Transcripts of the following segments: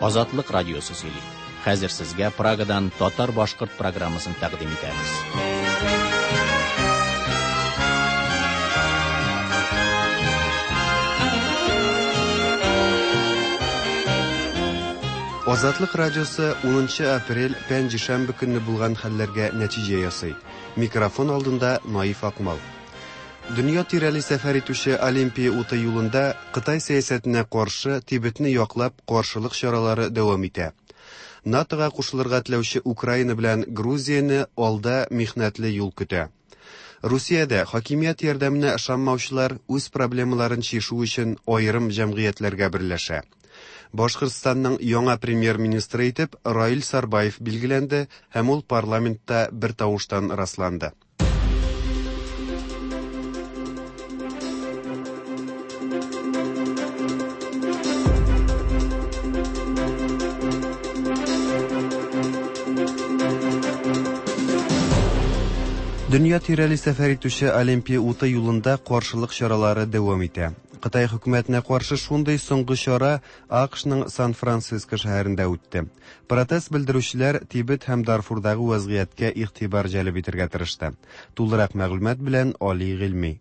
Азатлык радиосы сөйли. Хәзер сезгә Прагадан татар-башкорт программасын тәкъдим итәбез. Азатлык радиосы 10 апрель пәнҗешәмбе көнне булган хәлләргә нәтиҗә ясый. Микрофон алдында Наиф Акмал. Дөнья тирәли сәфәр итүче Олимпия уты юлында Кытай сәясәтенә каршы Тибетне яклап каршылык чаралары дәвам итә. НАТОга кушылырга теләүче Украина белән Грузияне алда михнәтле юл көтә. Русиядә хакимият ярдәменә ышанмаучылар үз проблемаларын чишү өчен аерым җәмгыятьләргә берләшә. Башкортстанның яңа премьер-министры итеп Раил Сарбаев билгеләнде һәм ул парламентта бер тавыштан расланды. Дөнья тирәли сәфәр итүче Олимпия уты юлында каршылык чаралары дәвам итә. Кытай хөкүмәтенә каршы шундый соңгы чара АКШның Сан-Франциско шәһәрендә үтте. Протест белдерүчеләр Тибет һәм Дарфурдагы вәзгыятькә игътибар җәлеп итәргә тырышты. Тулырак мәгълүмат белән Али Гыйльми.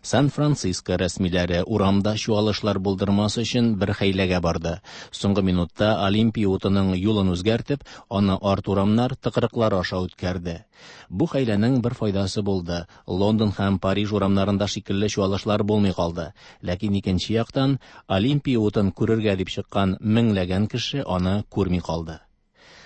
Сан-Франциско рәсмиләре урамда чуалышлар булдырмас өчен бер хәйләгә барды. Соңгы минутта Олимпия утының юлын үзгәртеп, аны арт урамнар, тыкрыклар аша үткәрде. Бу хәйләнең бер файдасы булды. Лондон һәм Париж урамнарында шикелле чуалышлар булмый калды. Ләкин икенче яктан, Олимпия утын күрергә дип чыккан меңләгән кеше аны күрми калды.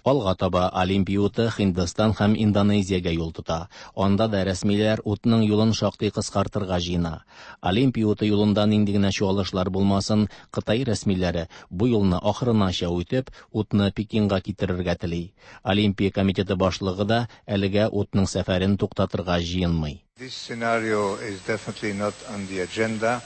Алга таба Олимпия уты Һиндстан һәм Индонезиягә юл тота. Анда да рәсмиләр утның юлын шактый кыскартырга җыена. Олимпия уты юлында нинди генә чуалышлар булмасын, Кытай рәсмиләре бу юлны ахырынача үтеп, утны Пекинга китерергә тели. Олимпия комитеты башлыгы да әлегә утның сәфәрен туктатырга җыенмый. This scenario is definitely not on the agenda.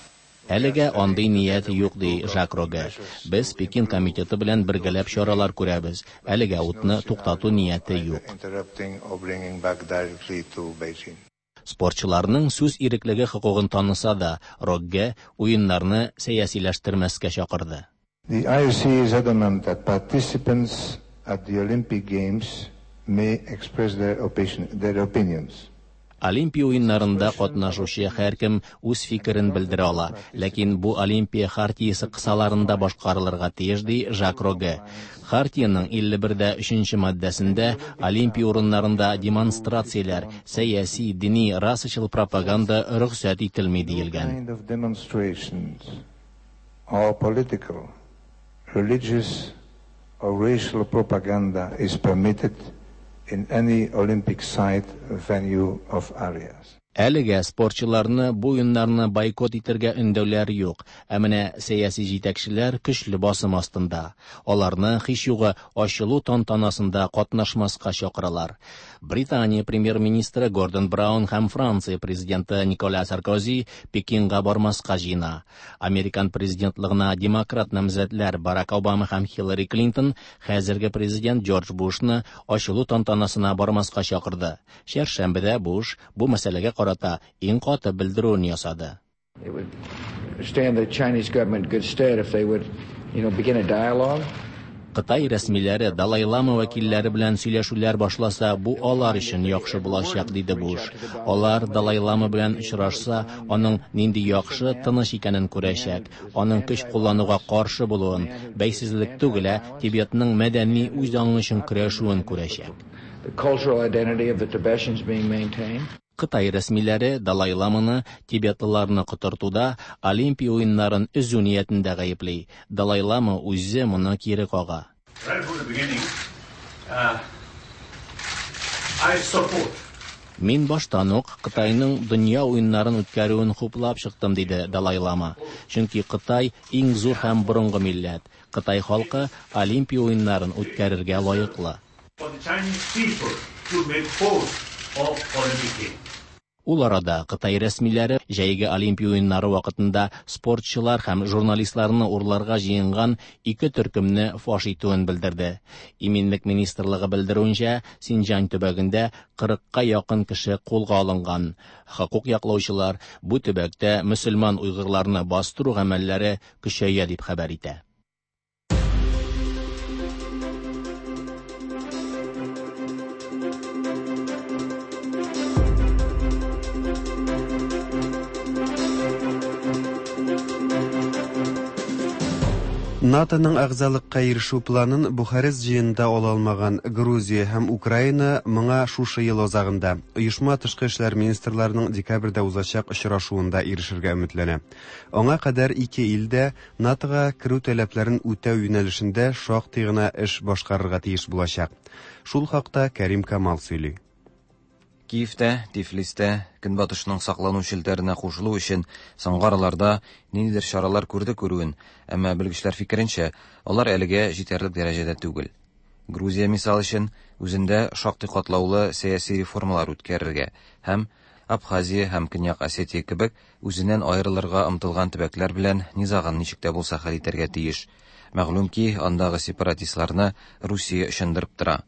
Әлегә андый ният юк, ди Жак Рогге. Без Пекин комитеты белән бергәләп чаралар күрәбез. Әлегә утны туктату нияте юк. Interrupting or bringing back directly to Beijing. Спортчыларның сүз иреклеге хокукын таныса да, Рогге уеннарны сәясиләштермәскә чакырды. The IOC is adamant that participants at the Olympic Games may express their opinions. Олимпия уеннарында катнашучы һәркем үз фикерен белдерә ала, ләкин бу Олимпия хартиясе кысаларында башкарылырга тиеш, ди Жак Рогге. Хартиянең 51 дә 3 маддәсендә Олимпия урыннарында демонстрацияләр, сәяси, дини, расачыл пропаганда рөхсәт ителми диелгән. Kind of demonstrations or political, religious or racial propaganda is permitted in any Olympic site, venue of areas. Әлегә спортчыларны бу уеннарны бойкот итәргә өндәүләр юк, ә менә сәяси җитәкчеләр көчле басым астында. Аларны һич югы ачылу тантанасында катнашмаска чакыралар. Британия премьер-министры Гордон Браун һәм Франция президенты Николя Саркози Пекинга бармаска җыена. Американ президентлыгына демократ намзәтләр Барак Обама һәм Хиллари Клинтон хәзерге президент Джордж Бушны ачылу тантанасына бармаска чакырды. Чәршәмбедә Буш бу мәсьәләгә карата иң каты белдерүен ясады. It would stand the Chinese government in good stead if they would begin a dialogue. Кытай рәсмиләре Далай Лама вәкилләре белән сөйләшүләр башласа, бу алар өчен яхшы булачак, диде Буш. Алар Далай Лама белән очрашса, аның нинди яхшы, тыныч икәнен күрәчәк, аның көч куллануга каршы булуын, бәйсезлек түгел, ә Тибетның мәдәни үз аңы өчен көрәшүен күрәчәк. The cultural identity of the Tibetans being maintained. Кытай рәсмиләре Далай Ламаны тибетлыларны котыртуда Олимпия уеннарын өзү ниятендә гаепли. Далай Лама үзе моны кире кага. Right from the beginning, I support Мин баштан ук Кытайның дөнья уеннарын үткәрүен хуплап чыктым, диде Далай Лама. Чөнки Кытай иң зур һәм борынгы милләт. Кытай халкы Олимпия уеннарын үткәрергә лаеклы. for the Chinese people to make host of Olympic Games. Ул арада Кытай рәсмиләре җәйге Олимпия уеннары вакытында спортчылар һәм журналистларны урларга җыенган ике төркемне фаш итүен белдерде. Иминлек министрлыгы белдерүенчә, Синҗан төбәгендә 40-ка якын кеше кулга алынган. Хокук яклаучылар бу төбәктә мөселман уйгырларны бастыру гамәлләре көчәя дип хәбәр итә. НАТОның әгъзалыкка ирешү планын Бухарест җыенында ала алмаган Грузия һәм Украина моңа шушы ел азагында, оешма тышкы эшләр министрларының декабрьдә узачак очрашуында ирешергә өметләнә. Аңа кадәр ике ил дә НАТОга керү таләпләрен үтәү юнәлешендә шактый гына эш башкарырга тиеш булачак. Шул хакта Кәрим Камал сөйли. Киев тә, Тифлис тә Көнбатышның саклану челтәренә кушылу өчен соңгы араларда ниндидер чаралар күрде күрүен, әмма белгечләр фикеренчә, алар әлегә җитәрлек дәрәҗәдә түгел. Грузия, мисал өчен, үзендә шактый катлаулы сәяси реформалар үткәрергә һәм Абхазия һәм Көньяк Осетия кебек үзеннән аерылырга омтылган төбәкләр белән низагын ничек тә булса хәл итәргә тиеш. Мәгълүм ки, андагы сепаратистларны Русия очындырып тора.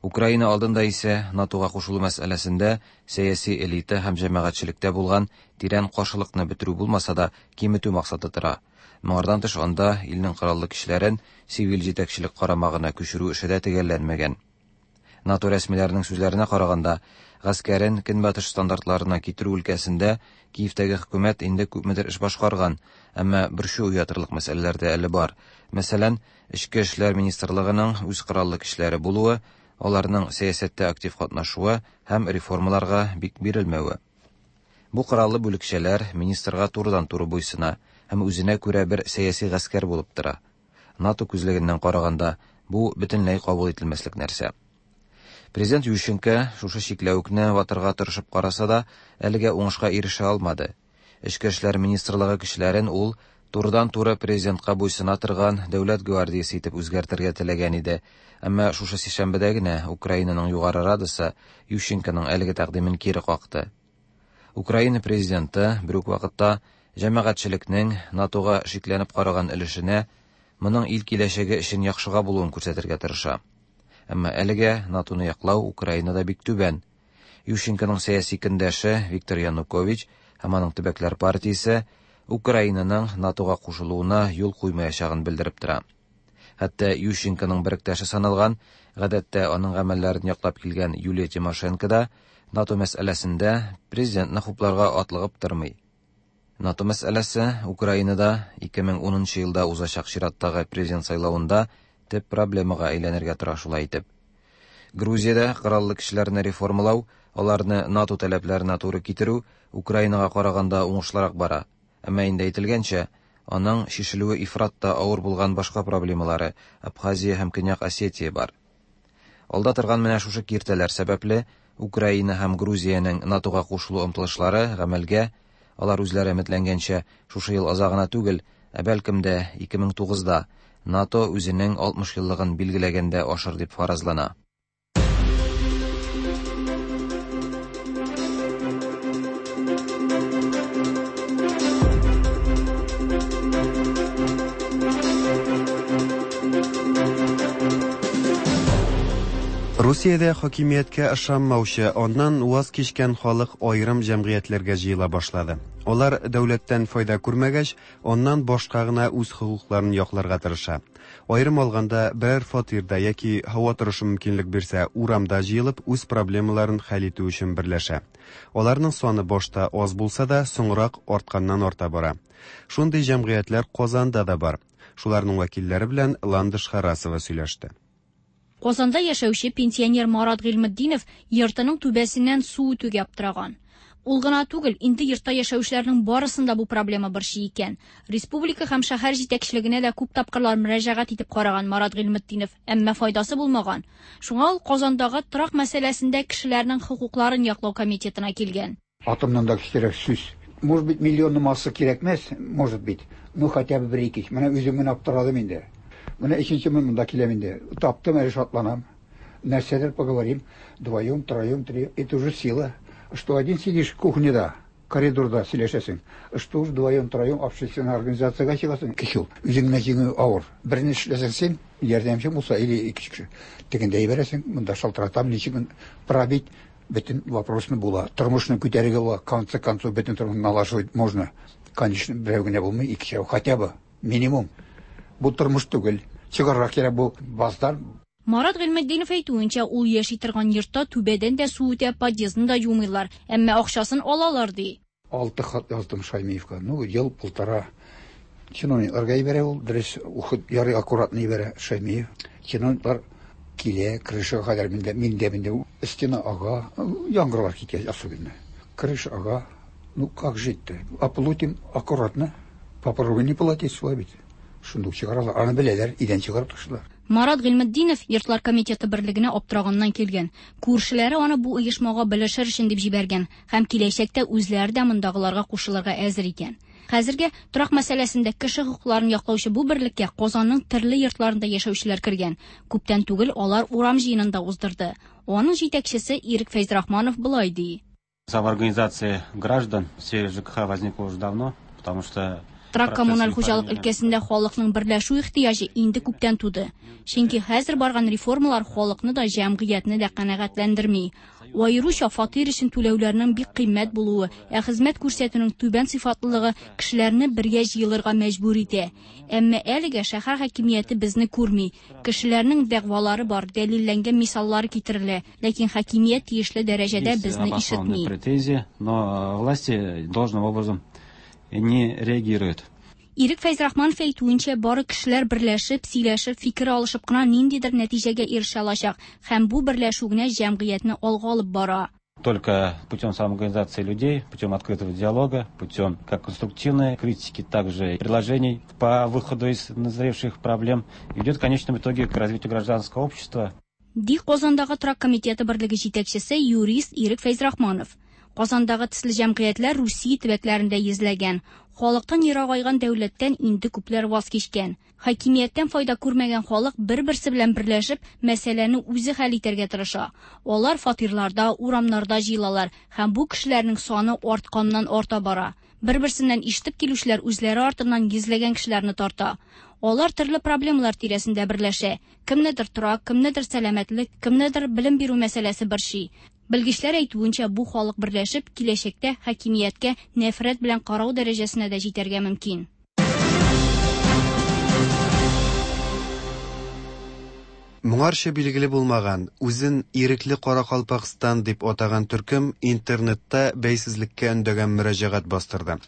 Украина алдында исә НАТОга кушылу мәсьәләсендә сәяси элита һәм җәмәгатьчелектә булган тирән каршылыкны бетерү булмаса да, киметү максаты тора. Моңардан тыш анда илнең кораллы көчләрен сивил җитәкчелек карамагына күчерү эше дә төгәлләнмәгән. НАТО рәсмиләренең сүзләренә караганда, гаскәрен Көнбатыш стандартларына китерү өлкәсендә Киевтәге хөкүмәт инде күпмедер эш башкарган, әмма борчу уятырлык мәсьәләләр дә әле бар. Мәсәлән, Эчке эшләр министрлыгының үз кораллы көчләре булуы, аларның сәясәттә актив катнашуы һәм реформаларга бик бирелмәве. Бу кораллы бүлекчәләр министрга турыдан-туры буйсына һәм үзенә күрә бер сәяси гаскәр булып тора. НАТО күзлегеннән караганда, бу бөтенләй кабул ителмәслек нәрсә. Президент Ющенко шушы чикләвекне ватырга тырышып караса да, әлегә уңышка ирешә алмады. Эчке эшләр министрлыгы кешеләрен ул турыдан-туры президентка буйсына торган дәүләт гвардиясе итеп үзгәртергә теләгән иде. Әмма шушы сишәмбедә генә Украинаның Югары Радасы Ющенконың әлеге тәкъдимен кире какты. Украина президенты бер үк вакытта җәмәгатьчелекнең НАТОга шикләнеп караган өлешенә моның ил киләчәге өчен яхшыга булуын күрсәтергә тырыша. Әмма әлегә НАТОны яклау Украинада бик түбән. Ющенконың сәяси көндәше Виктор Янукович һәм аның төбәкләр партиясе Украинаның НАТОга кушылуына юл куймаячагын белдереп тора. Хәтта Ющенконың беректәше саналган, гадәттә аның гамәлләрен яклап килгән Юлия Тимошенко да НАТО мәсьәләсендә президентны хупларга атлыгып тормый. НАТО мәсьәләсе Украинада 2010 елда узачак чираттагы президент сайлавында төп проблемага әйләнергә тора шулай итеп. Грузиядә кораллы көчләрне реформалау, аларны НАТО таләпләренә туры китерү Украинага караганда уңышлырак бара. Әмма инде әйтелгәнчә, аның чишелүе ифрат та авыр булган башка проблемалары Абхазия һәм Көньяк Осетия бар. Алда торган менә шушы киртәләр сәбәпле Украина һәм Грузиянең НАТОга кушылу омтылышлары гамәлгә, алар үзләре өметләнгәнчә, шушы ел азагына түгел, ә бәлкем дә 2009-да НАТО үзенең 60 еллыгын билгеләгәндә ашыр дип фаразлана. Русиядә хакимияткә ышанмаучы, аннан ваз кичкән халык аерым җәмгыятьләргә җыела башлады. Алар дәүләттән файда күрмәгәч, аннан башка гына үз хокукларын якларга тырыша. Аерым алганда, берәр фатирда яки һава торышы мөмкинлек бирсә, урамда җыелып, үз проблемаларын хәл итү өчен берләшә. Аларның саны башта аз булса да, соңрак артканнан арта бара. Шундый җәмгыятьләр Казанда да бар. Шуларның вәкилләре белән Ландыш Харасова сөйләште. Казанда яшәүче пенсионер Марат Гыйльметдинов йортының түбәсеннән су үтүгә аптыраган. Ул гына түгел, инде йортта яшәүчеләрнең барысын да бу проблема борчый икән. Республика һәм шәһәр җитәкчелегенә дә күп тапкырлар мөрәҗәгать итеп караган Марат Гыйльметдинов, әмма файдасы булмаган. Шуңа ул Казандагы торак мәсьәләсендә кешеләрнең хокукларын яклау комитетына килгән. Атомнан да көчлерәк сүз. Может быть, миллионны масса кирәкмәс, может быть, ну хотя бы бер-ике. Менә үзем генә аптырадым инде. Менә өченче мин монда киләм инде. Таптым, әле шатланам. Нәрсәдер поговорим. Вдвоем, троем, три. Это уже сила. Что один сидишь в кухнеда, коридорда сөйләшәсең. Что уж вдвоем, троем общественная организациягә чыгасың. Көч ул. Үзең генә җиңү авыр. Берне эшләсәң син, ярдәмчең булса, или ике кеше. Тегендә җибәрәсең, монда шалтыратам, ничек пробить бөтен вопросны була. Тормышны күтәрергә була. В конце концов, бөтен тормышны налаживать можно. Конечно, берәү генә булмый, икешәү хотя бы, минимум. Бу тормыш түгел. Чыгарга кирәк бу баздан. Марат Гыйльметдинов әйтүенчә, ул яши торган йортта түбәдән дә су үтә, подъездны да юмыйлар, әмма акчасын алалар ди. 6 хат яздым Шаймиевка. Ну, ел полтора. Чиновникларга җибәрә ул, дөрес, уход ярый аккуратно җибәрә Шаймиев. Чиновниклар килә, крышага кадәр миндә, миндә, миндә стена ага, яңгырлар киткәч особенно. Крыша ага, ну как жить-то? Оплатим аккуратно, попробуй не платить, шулай бит. Шундук чыгаралар, аны беләләр, өйдән чыгарып ташлыйлар. Марат Гыйльметдинов Йортлар комитеты берлегенә аптыраганнан килгән. Күршеләре аны бу оешмага белешер өчен дип җибәргән һәм киләчәктә үзләре дә мондагыларга кушылырга әзер икән. Хәзергә торак мәсьәләсендә кеше хокукларын яклаучы бу берлеккә Казанның төрле йортларында яшәүчеләр кергән. Күптән түгел алар урам җыенын да уздырды. Аның җитәкчесе Ирек Фәйзрахманов болай ди. Самоорганизация граждан в сфере ЖКХ возникла уже давно, потому что Торак-коммуналь хуҗалык өлкәсендә халыкның берләшү ихтыяҗы инде күптән туды. Чөнки хәзер барган реформалар халыкны да, җәмгыятьне дә канәгатьләндерми. Аеруча фатир өчен түләүләрнең бик кыйммәт булуы, ә хезмәт күрсәтүнең түбән сыйфатлылыгы кешеләрне бергә җыелырга мәҗбүр итә. Әмма әлегә шәһәр хакимияте безне күрми. Кешеләрнең дәгъвалары бар, дәлилләнгән мисаллар китерелә, ләкин хакимият тиешле дәрәҗәдә безне ишетми. Претензии, но власти должным образом не реагируют. Ирек Фәйзрахманов әйтүенчә, бары кешеләр берләшеп, сөйләшеп, фикер алышып кына ниндидер нәтиҗәгә ирешә алачак һәм бу берләшү генә җәмгыятьне алга алып бара. Только путем самоорганизации людей, путем открытого диалога, путем как конструктивной критики, также предложений по выходу из назревших проблем идет в конечном итоге к развитию гражданского общества. Ди Казандагы торак комитеты берлеге җитәкчесе юрист Ирек Фәйзрахманов. Казандагы төсле җәмгыятьләр Русия төбәкләрендә йөзләгән. Халыктан ерагайган дәүләттән инде күпләр ваз кичкән. Хакимияттән файда күрмәгән халык бер-берсе белән берләшеп, мәсьәләне үзе хәл итәргә тырыша. Алар фатирларда, урамнарда җыелалар һәм бу кешеләрнең саны артканнан арта бара. Бер-берсеннән ишетеп килүчеләр үзләре артыннан йөзләгән кешеләрне тарта. Алар төрле проблемалар тирәсендә берләшә. Кемнедер торак, кемнедер сәламәтлек, кемнедер белем бирү мәсьәләсе борчый. Белгечләр әйтүенчә, бу халык берләшеп, киләчәктә хакимияткә нәфрәт белән карау дәрәҗәсенә дә җитәргә мөмкин. Моңарчы билгеле булмаган, үзен Ирекле Каракалпакстан дип атаган төркем интернетта бәйсезлеккә өндәгән мөрәҗәгать бастырды.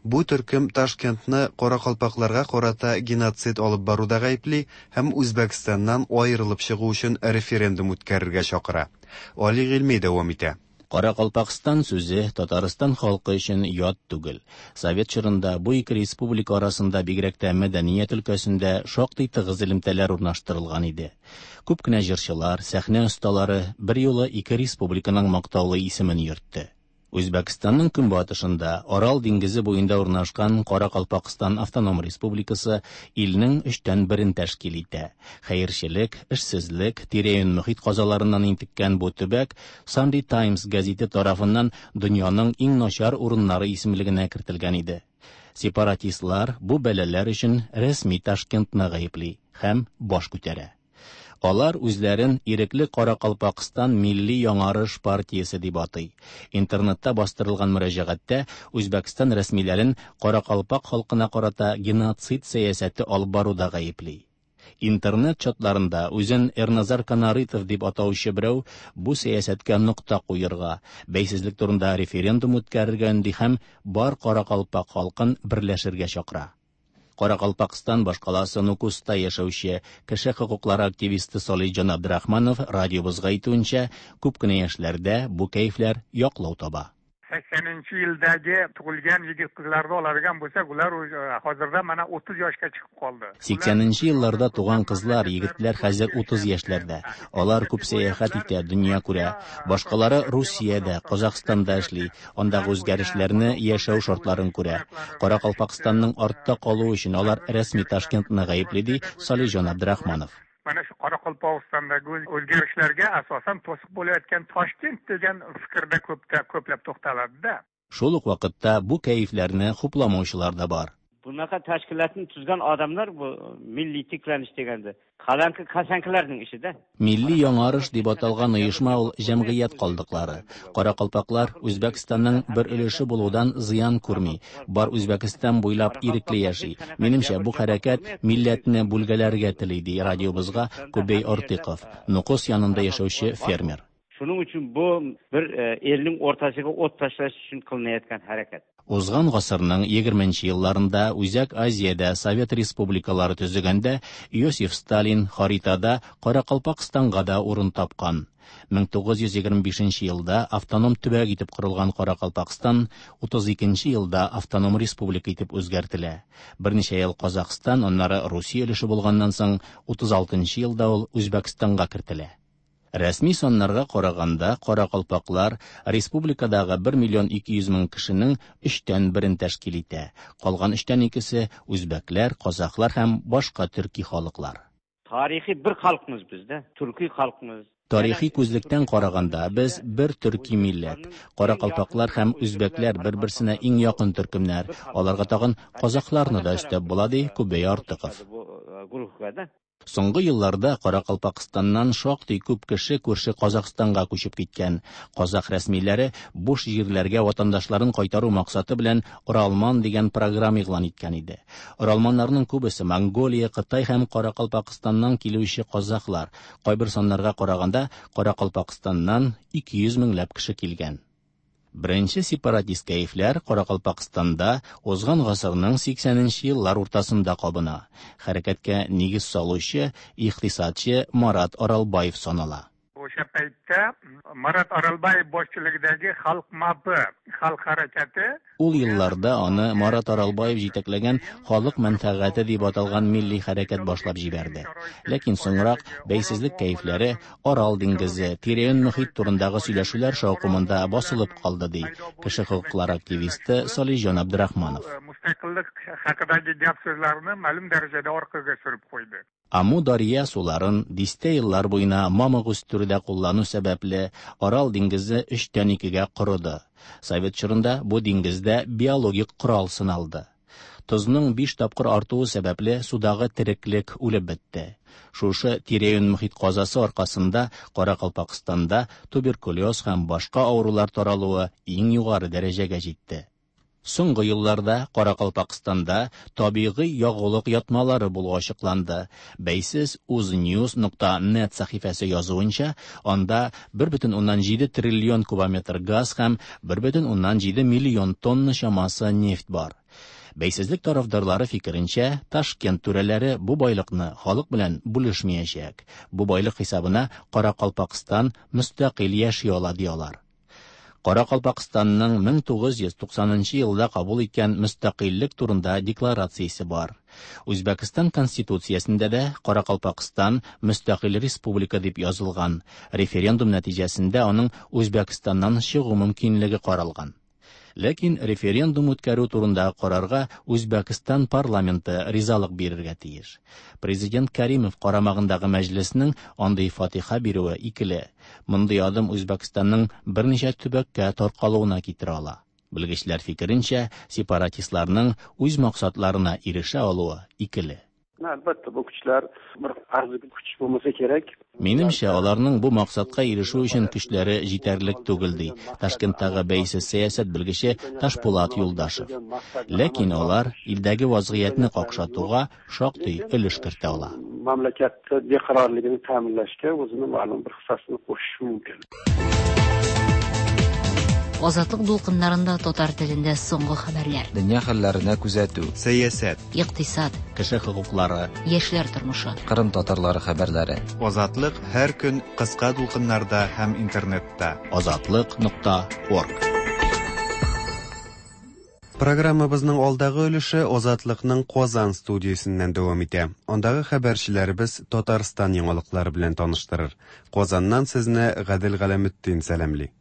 Бу төркем Ташкентны каракалпакларга карата геноцид алып баруда гаепли һәм Үзбәкстаннан аерылып чыгу өчен референдум үткәрергә чакыра. Али Гыйльми дәвам итә. Каракалпакстан сүзе Татарстан халкы өчен ят түгел. Совет чорында бу ике республика арасында бигрәк тә мәдәният өлкәсендә шактый тыгыз элемтәләр урнаштырылган иде. Күп кенә җырчылар, сәхнә осталары берьюлы ике республиканың мактаулы исемен йөртте. Үзбәкстанның көнбатышында Арал диңгезе буенда урнашкан Каракалпакстан автоном республикасы илнең өчтән берен тәшкил итә. Хәерчелек, эшсезлек, тирә-юнь мохит казаларыннан интеккән бу төбәк Sunday Times гәзите тарафыннан дөньяның иң начар урыннары исемлегенә кертелгән иде. Сепаратистлар бу бәлаләр өчен рәсми Ташкентны гаепли һәм баш күтәрә. Алар үзләрен Ирекле Каракалпакстан милли яңарыш партиясе дип атый. Интернетта бастырылган мөрәҗәгатьтә Үзбәкстан рәсмиләрен каракалпак халкына карата геноцид сәясәте алып баруда гаепли. Интернет чатларында үзен Эрназар Канаритов дип атаучы берәү бу сәясәткә нокта куерга, бәйсезлек турында референдум үткәрергә өнди һәм бар каракалпак халкын берләшергә чакыра. Каракалпакстан башкаласы Нукуста яшәүче кеше хокуклары активисты Солиҗан Абдрахманов радиобызга әйтүенчә, күп кенә яшьләрдә бу кәефләр яклау таба. 80 yildagi tug'ilgan yigit qizlarni oladigan bo'lsak, ular hozirda mana 30 yoshga chiqib qoldi. 80 елларда туган кызлар, егетләр хәзер 30 яшьләрдә. Алар күп сәяхәт итә, дөнья күрә. Башкалары Русиядә, Казахстанда эшли, андагы үзгәрешләрне, яшәү шартларын күрә. Каракалпакстанның артта калуы өчен алар рәсми Ташкентны гаепли, ди Салиҗан Абдрахманов. Mana shu Qoraqalpog'istondagi o'zgarishlarga asosan to'siq bo'layotgan Toshkent degan fikrda ko'pda ko'plab to'xtaladi-da. Шул ук вакытта бу кәефләрне хупламаучылар да бар. Bunaqa tashkilotni tuzgan odamlar bu milliy tiklanish deganda qalanki kasankilarning ishida. Милли яңарыш дип аталган оешма ул җәмгыять калдыклары. Каракалпаклар Үзбәкстанның бер өлеше булудан зыян күрми. Бар Үзбәкстан буйлап ирекле яши. Минемчә, бу хәрәкәт милләтне бүлгәләргә тели, ди радиобызга Кубей Ортыков, Нукус янында яшәүче фермер. Shuning uchun bu bir elning o'rtasiga o't tashlash uchun qilinayotgan harakat. Узган гасырның 20 елларында Үзәк Азиядә Совет республикалары төзегәндә Иосиф Сталин харитада Каракалпакстанга да урын тапкан. 1925 елда автоном төбәк итеп корылган Каракалпакстан 32 елда автоном республика итеп үзгәртелә. Берничә ел Казахстан, аннары Русия өлеше булганнан соң 36 елда ул Үзбәкстанга кертелә. Рәсми саннарга караганда, каракалпаклар республикадагы 1 миллион 200 мең кешенең өчтән берен тәшкил итә. Калган өчтән икесе үзбәкләр, казахлар һәм башка төрки халыклар. Тарихи бер халыкмыз без дә, төрки халыкмыз. Тарихи күзлектән караганда, без бер төрки милләт. Каракалпаклар һәм үзбәкләр бер-берсенә иң якын төркемнәр. Аларга тагын казахларны да өстәп була, ди Күбәй Артыков. Соңгы елларда Каракалпакстаннан шактый күп кеше күрше Казахстанга күчеп киткән. Казах рәсмиләре буш җирләргә ватандашларын кайтару максаты белән Оралман дигән программа игълан иткән иде. Оралманнарның күбесе Монголия, Кытай һәм Каракалпакстаннан килүче казахлар. Кайбер саннарга караганда, Каракалпакстаннан 200 меңләп кеше килгән. Беренче сепаратист кәефләр Каракалпакстанда узган гасырның 80 еллар уртасында кабына. Хәрәкәткә нигез салучы икътисадчы Марат Аралбаев санала. O'sha paytda Marat Oralbayev boshchiligidagi Xalq MAP xalq harakati. Ул елларда аны Марат Аралбаев җитәкләгән Халык мәнфәгате дип аталган милли хәрәкәт башлап җибәрде. Ләкин соңрак бәйсезлек кәефләре Арал диңгезе, тирә-юнь мохит турындагы сөйләшүләр шаукымында басылып калды, ди кеше хокуклары активисты Салихҗан Абдрахманов. Mustaqillik haqidagi gap so'zlarni ma'lum darajada orqaga surib qo'ydi. Аму Дарья суларын дистә еллар буена мамык үстерүдә куллану сәбәпле, Арал диңгезе өчтән икегә корыды. Совет чорында бу диңгездә биологик корал сыналды. Тозның 5 тапкыр артуы сәбәпле судагы тереклек үлеп бетте. Шушы тирә-юнь мохит казасы аркасында Каракалпакстанда туберкулез һәм башка авырулар таралуы иң югары дәрәҗәгә җитте. Соңгы елларда Каракалпакстанда табигый ягулык ятмалары булу ачыкланды. Бәйсез uznews.net сәхифәсе язуынча, анда 1,7 триллион кубометр газ һәм 1,7 миллион тонна чамасы нефть бар. Бәйсезлек тарафдарлары фикеренчә, Ташкент түрәләре бу байлыкны халык белән бүлешмәячәк. Бу байлык хисабына Каракалпакстан мөстәкыйль яши ала, ди алар. Каракалпакстанның 1990 елда кабул иткән мөстәкыйльлек турында декларациясе бар. Үзбәкстан конституциясендә дә Каракалпакстан мөстәкыйль республика дип язылган. Референдум нәтиҗәсендә аның Үзбәкстаннан чыгу мөмкинлеге каралган. Ләкин референдум үткәрү турындагы карарга Үзбәкстан парламенты ризалык бирергә тиеш. Президент Каримов карамагындагы мәҗлеснең андый фатиха бирүе икеле. Мондый адым Үзбәкстанның берничә төбәккә таркалуына китерә ала. Белгечләр фикеренчә, сепаратистларның үз максатларына ирешә алуы икеле. Albatta, bu kuchlar bir arzigulik kuch bo'lmasa kerak. Минемчә, аларның бу максатка ирешү өчен көчләре җитәрлек түгел, ди Ташкенттагы бәйсез сәясәт белгече Ташпулат Юлдашев. Ләкин алар илдәге вазгыятьне какшатуга шактый өлеш кертә ала. Mamlakatda beqarorligini ta'minlashga o'zini ma'lum bir hissasini qo'shishi mumkin. Азатлык дулкыннарында татар телендә соңгы хәбәрләр. Дөнья хәлләренә күзәтү. Сәясәт. Икътисад. Кеше хокуклары. Яшьләр тормышы. Кырым татарлары хәбәрләре. Азатлык һәр көн кыска дулкыннарда һәм интернетта. Азатлык.орг. Программабызның алдагы өлеше Азатлыкның Казан студиясеннән дәвам итә. Андагы хәбәрчеләребез Татарстан яңалыклары белән таныштырыр. Казаннан сезне Гадел Галәметдин сәламли.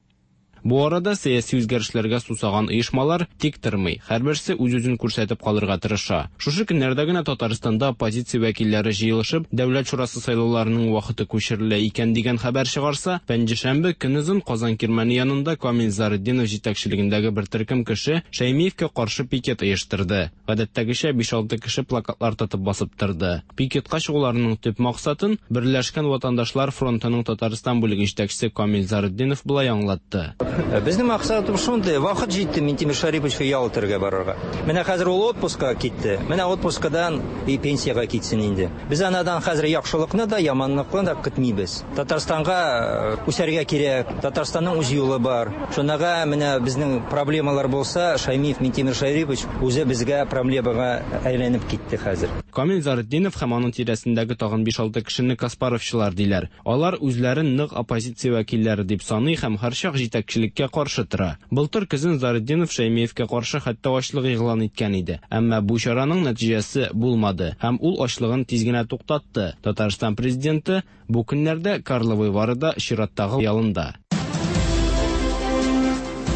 Бу арада сәяси үзгәрешләргә сусаган оешмалар тик тормый, һәрберсе үз-үзен күрсәтеп калырга тырыша. Шушы көннәрдә генә Татарстанда оппозиция вәкилләре җыелышып, Дәүләт шурасы сайлауларының вакыты күчерелә икән дигән хәбәр чыгарса, пәнҗешәмбе көнозын Казан кирмәне янында Камил Заретдинов җитәкчелегендәге бер төркем кеше Шәймиевкә каршы пикет оештырды. Гадәттәгечә 5-6 кеше плакатлар тотып басып торды. Пикетка чыгуларының төп максатын Берләшкән ватандашлар фронтының Татарстан бүлеге җитәкчесе Камил Заретдинов болай аңлатты. җыелып. Безнең максатыбыз шундый, вакыт җитте Минтимер Шәриповичка ял итәргә барырга. Менә хәзер ул отпускка китте. Менә отпускадан и пенсиягә китсен инде. Без анадан хәзер яхшылыкны да, яманлыкны да көтмибез. Татарстанга үсәргә кирәк. Татарстанның үз юлы бар. Шунага менә безнең проблемалар булса, Шаймиев Минтимер Шәрипович үзе безгә проблемага әйләнеп китте хәзер. Камил Заретдинов һәм аның тирәсендәге тагын биш-алты кешене каспаровчылар диләр. Алар үзләрен нык оппозиция вәкилләре дип саный һәм һәрчак җитәкчелеккә каршы тора. Былтыр көзен Заретдинов Шәймиевкә каршы хәтта ачлык игълан иткән иде. Әмма бу чараның нәтиҗәсе булмады һәм ул ачлыгын тиз генә туктатты. Татарстан Президенты бу көннәрдә Карловы Варыда чираттагы ялында.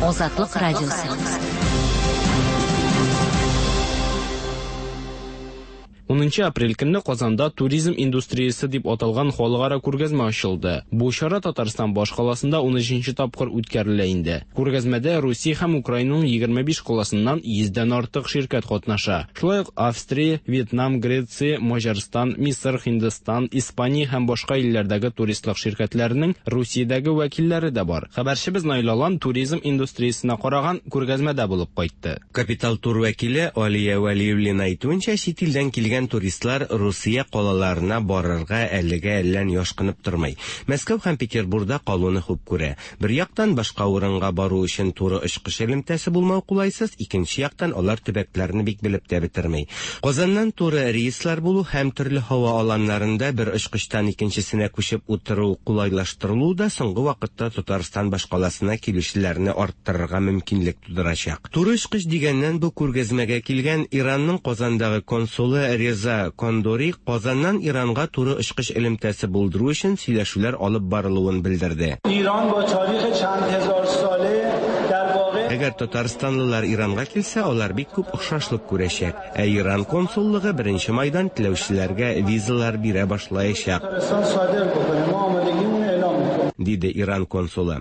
Азатлык радиосы. 10 апрель көнне Казанда Туризм индустриясе дип аталган халыкара күргәзмә ачылды. Бу чара Татарстан башкаласында 13 тапкыр үткәрелә инде. Күргәзмәдә Русия һәм Украинаның 25 каласыннан 100 дән артык ширкәт катнаша. Шулай ук Австрия, Вьетнам, Греция, Маҗарстан, Мисыр, Һиндстан, Испания һәм башка илләрдәге туристлык ширкәтләренең Русиядәге вәкилләре дә бар. Хәбәрчебез Наил Алан туризм индустриясенә караган күргәзмәдә булып кайтты. Капитал Тур вәкиле Алия Вәлиуллина әйтүенчә, чит илдән килгән туристлар Русия калаларына барырга әлегә әллә ни ашкынып тормый. Мәскәү һәм Петербурда калуны хуп күрә. Бер яктан, башка урынга бару өчен туры очкыч элемтәсе булмау кулайсыз, икенче яктан, алар төбәкләрне бик белеп тә бетерми. Казаннан туры рейслар булу һәм төрле һава аланнарында бер очкычтан икенчесенә күчеп утыру кулайлаштырылу да соңгы вакытта Татарстан башкаласына килүчеләрне арттырырга мөмкинлек тудырачак. Туры очкыч дигәннән, бу күргәзмәгә килгән Иранның Казандагы консулы Реза Кондори Казаннан Иранга туры очкыч элемтәсе булдыру өчен сөйләшүләр алып барылуын белдерде. Әгәр татарстанлылар Иранга килсә, алар бик күп охшашлык күрәчәк. Ә Иран консуллыгы беренче майдан теләүчеләргә визалар бирә башлаячак. Диде Иран консулы.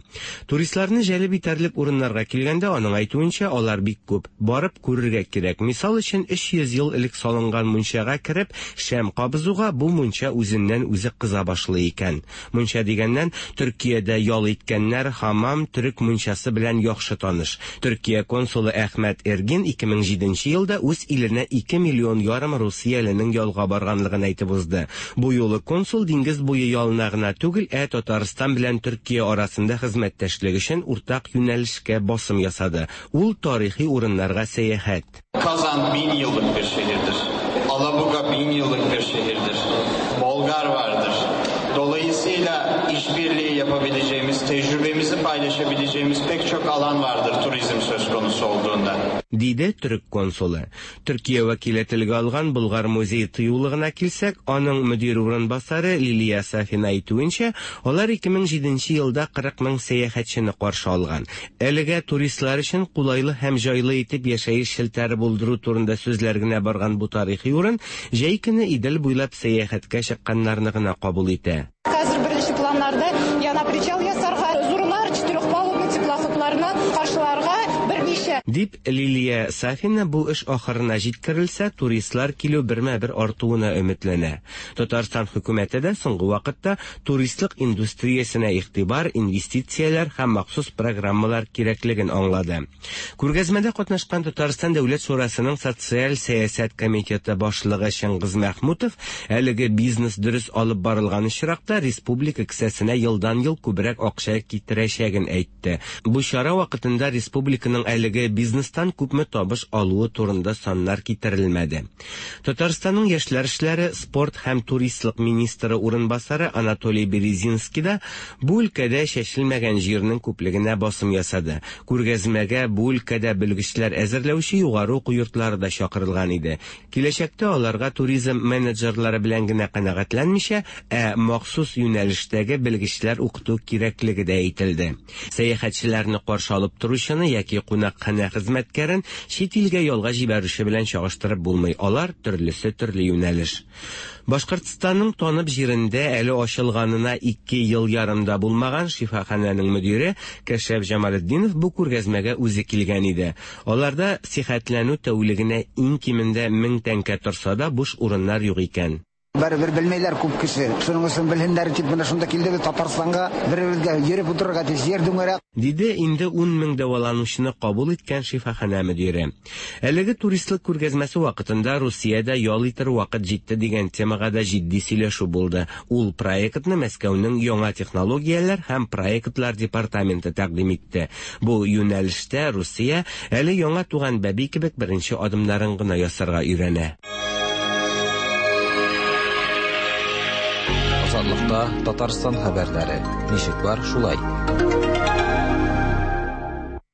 Туристларны җәлеп итәрлек урыннарга килгәндә, аның әйтүенчә, алар бик күп. Барып күрергә кирәк. Мисал өчен, 300 ел элек салынган мунчага кереп, шәм кабызуга бу мунча үзеннән-үзе кыза башлый икән. Мунча дигәннән, Төркиядә ял иткәннәр хамам төрек мунчасы белән яхшы таныш. Төркия консулы Әхмәт Эргин 2007 елда үз иленә 2 миллион ярым русияленең ялга барганлыгын әйтеп узды. Бу юлы консул диңгез буе ялына гына түгел, ә Татарстан белән Төркия арасында хезмәттәшлек өчен уртак юнәлешкә басым ясады. Ул тарихи урыннарга сәяхәт. Казан 1000 yıllık bir şehirdir. Alabuga 1000 yıllık bir şehirdir. Bolgar vardır. Dolayısıyla işbirliği yapabileceğimiz, tecrübemizi paylaşabileceğimiz pek çok alan vardır turizm söz konusu olduğunda. Диде төрек консулы. Төркия вәкиле телгә алган Болгар музей-тыюлыгына килсәк, аның мөдир урынбасары Лилия Сафина әйтүенчә, алар 2007 елда 40 мең сәяхәтчене каршы алган. Әлегә туристлар өчен кулайлы һәм җайлы итеп яшәеш челтәре булдыру турында сүзләр генә барган бу тарихи урын җәй көне Идел буйлап сәяхәткә чыкканнарны гына кабул итә. Хәзер беренче планнарда яна причал ясарга, зурлар, четырехпалубный теплоходларны каршыларга берничә. Дип Лилия Сафина бу эш ахырына җиткерелсә, туристлар килү бермә-бер артуына өметләнә. Татарстан хөкүмәте дә соңгы вакытта туристлык индустриясенә игътибар, инвестицияләр һәм махсус программалар кирәклеген аңлады. Күргәзмәдә катнашкан Татарстан Дәүләт шурасының социаль сәясәт комитеты башлыгы Чыңгыз Мәхмүтов әлеге бизнес дөрес алып барылган очракта республика кесәсенә елдан-ел күбрәк акча китерәчәген әйтте. Бу чара вакытында республиканың әлеге бизнестан күпме табыш алуы турында саннар китерелмәде. Татарстанның яшьләр эшләре, спорт һәм туристлык министры урынбасары Анатолий Березинский да бу өлкәдә чәчелмәгән җирнең күплегенә басым ясады. Күргәзмәгә бу өлкәдә белгечләр әзерләүче югары уку йортлары да чакырылган иде. Киләчәктә аларга туризм менеджерлары белән генә канәгатьләнмичә, ә махсус юнәлештәге белгечләр укыту кирәклеге дә әйтелде. Сәяхәтчеләрне каршы алып торучыны яки кунакханә хезмәткәрен чит илгә ялга җибәрүче белән чагыштырып булмый. Алар төрлесе төрле юнәлеш. Башкортстанның Танып җирендә әле ачылганына 2 ел ярым да булмаган шифаханәнең мөдире Кәшәф Җамалетдинов бу күргәзмәгә үзе килгән иде. Аларда сихәтләнү тәүлегенә иң кимендә 1000 тәңкә торса да, буш урыннар юк икән. Барыбер белмиләр күп кеше. Шуның өчен белһеннәр дип менә шунда килдек без Татарстанга, бер-беребезгә йөреп утырырга тиеш, җир түңәрәк. Диде инде ун мең дәваланучыны кабул иткән шифаханә мөдире. Әлеге туристлык күргәзмәсе вакытында Русиядә ял итер вакыт җитте дигән темага да җитди сөйләшү булды. Ул проектны Мәскәүнең яңа технологияләр һәм проектлар департаменты тәкъдим итте. Бу юнәлештә Русия әле яңа туган бәби кебек беренче адымнарын гына ясарга өйрәнә. Азатлыкта Татарстан хәбәрләре. Ничек бар, шулай.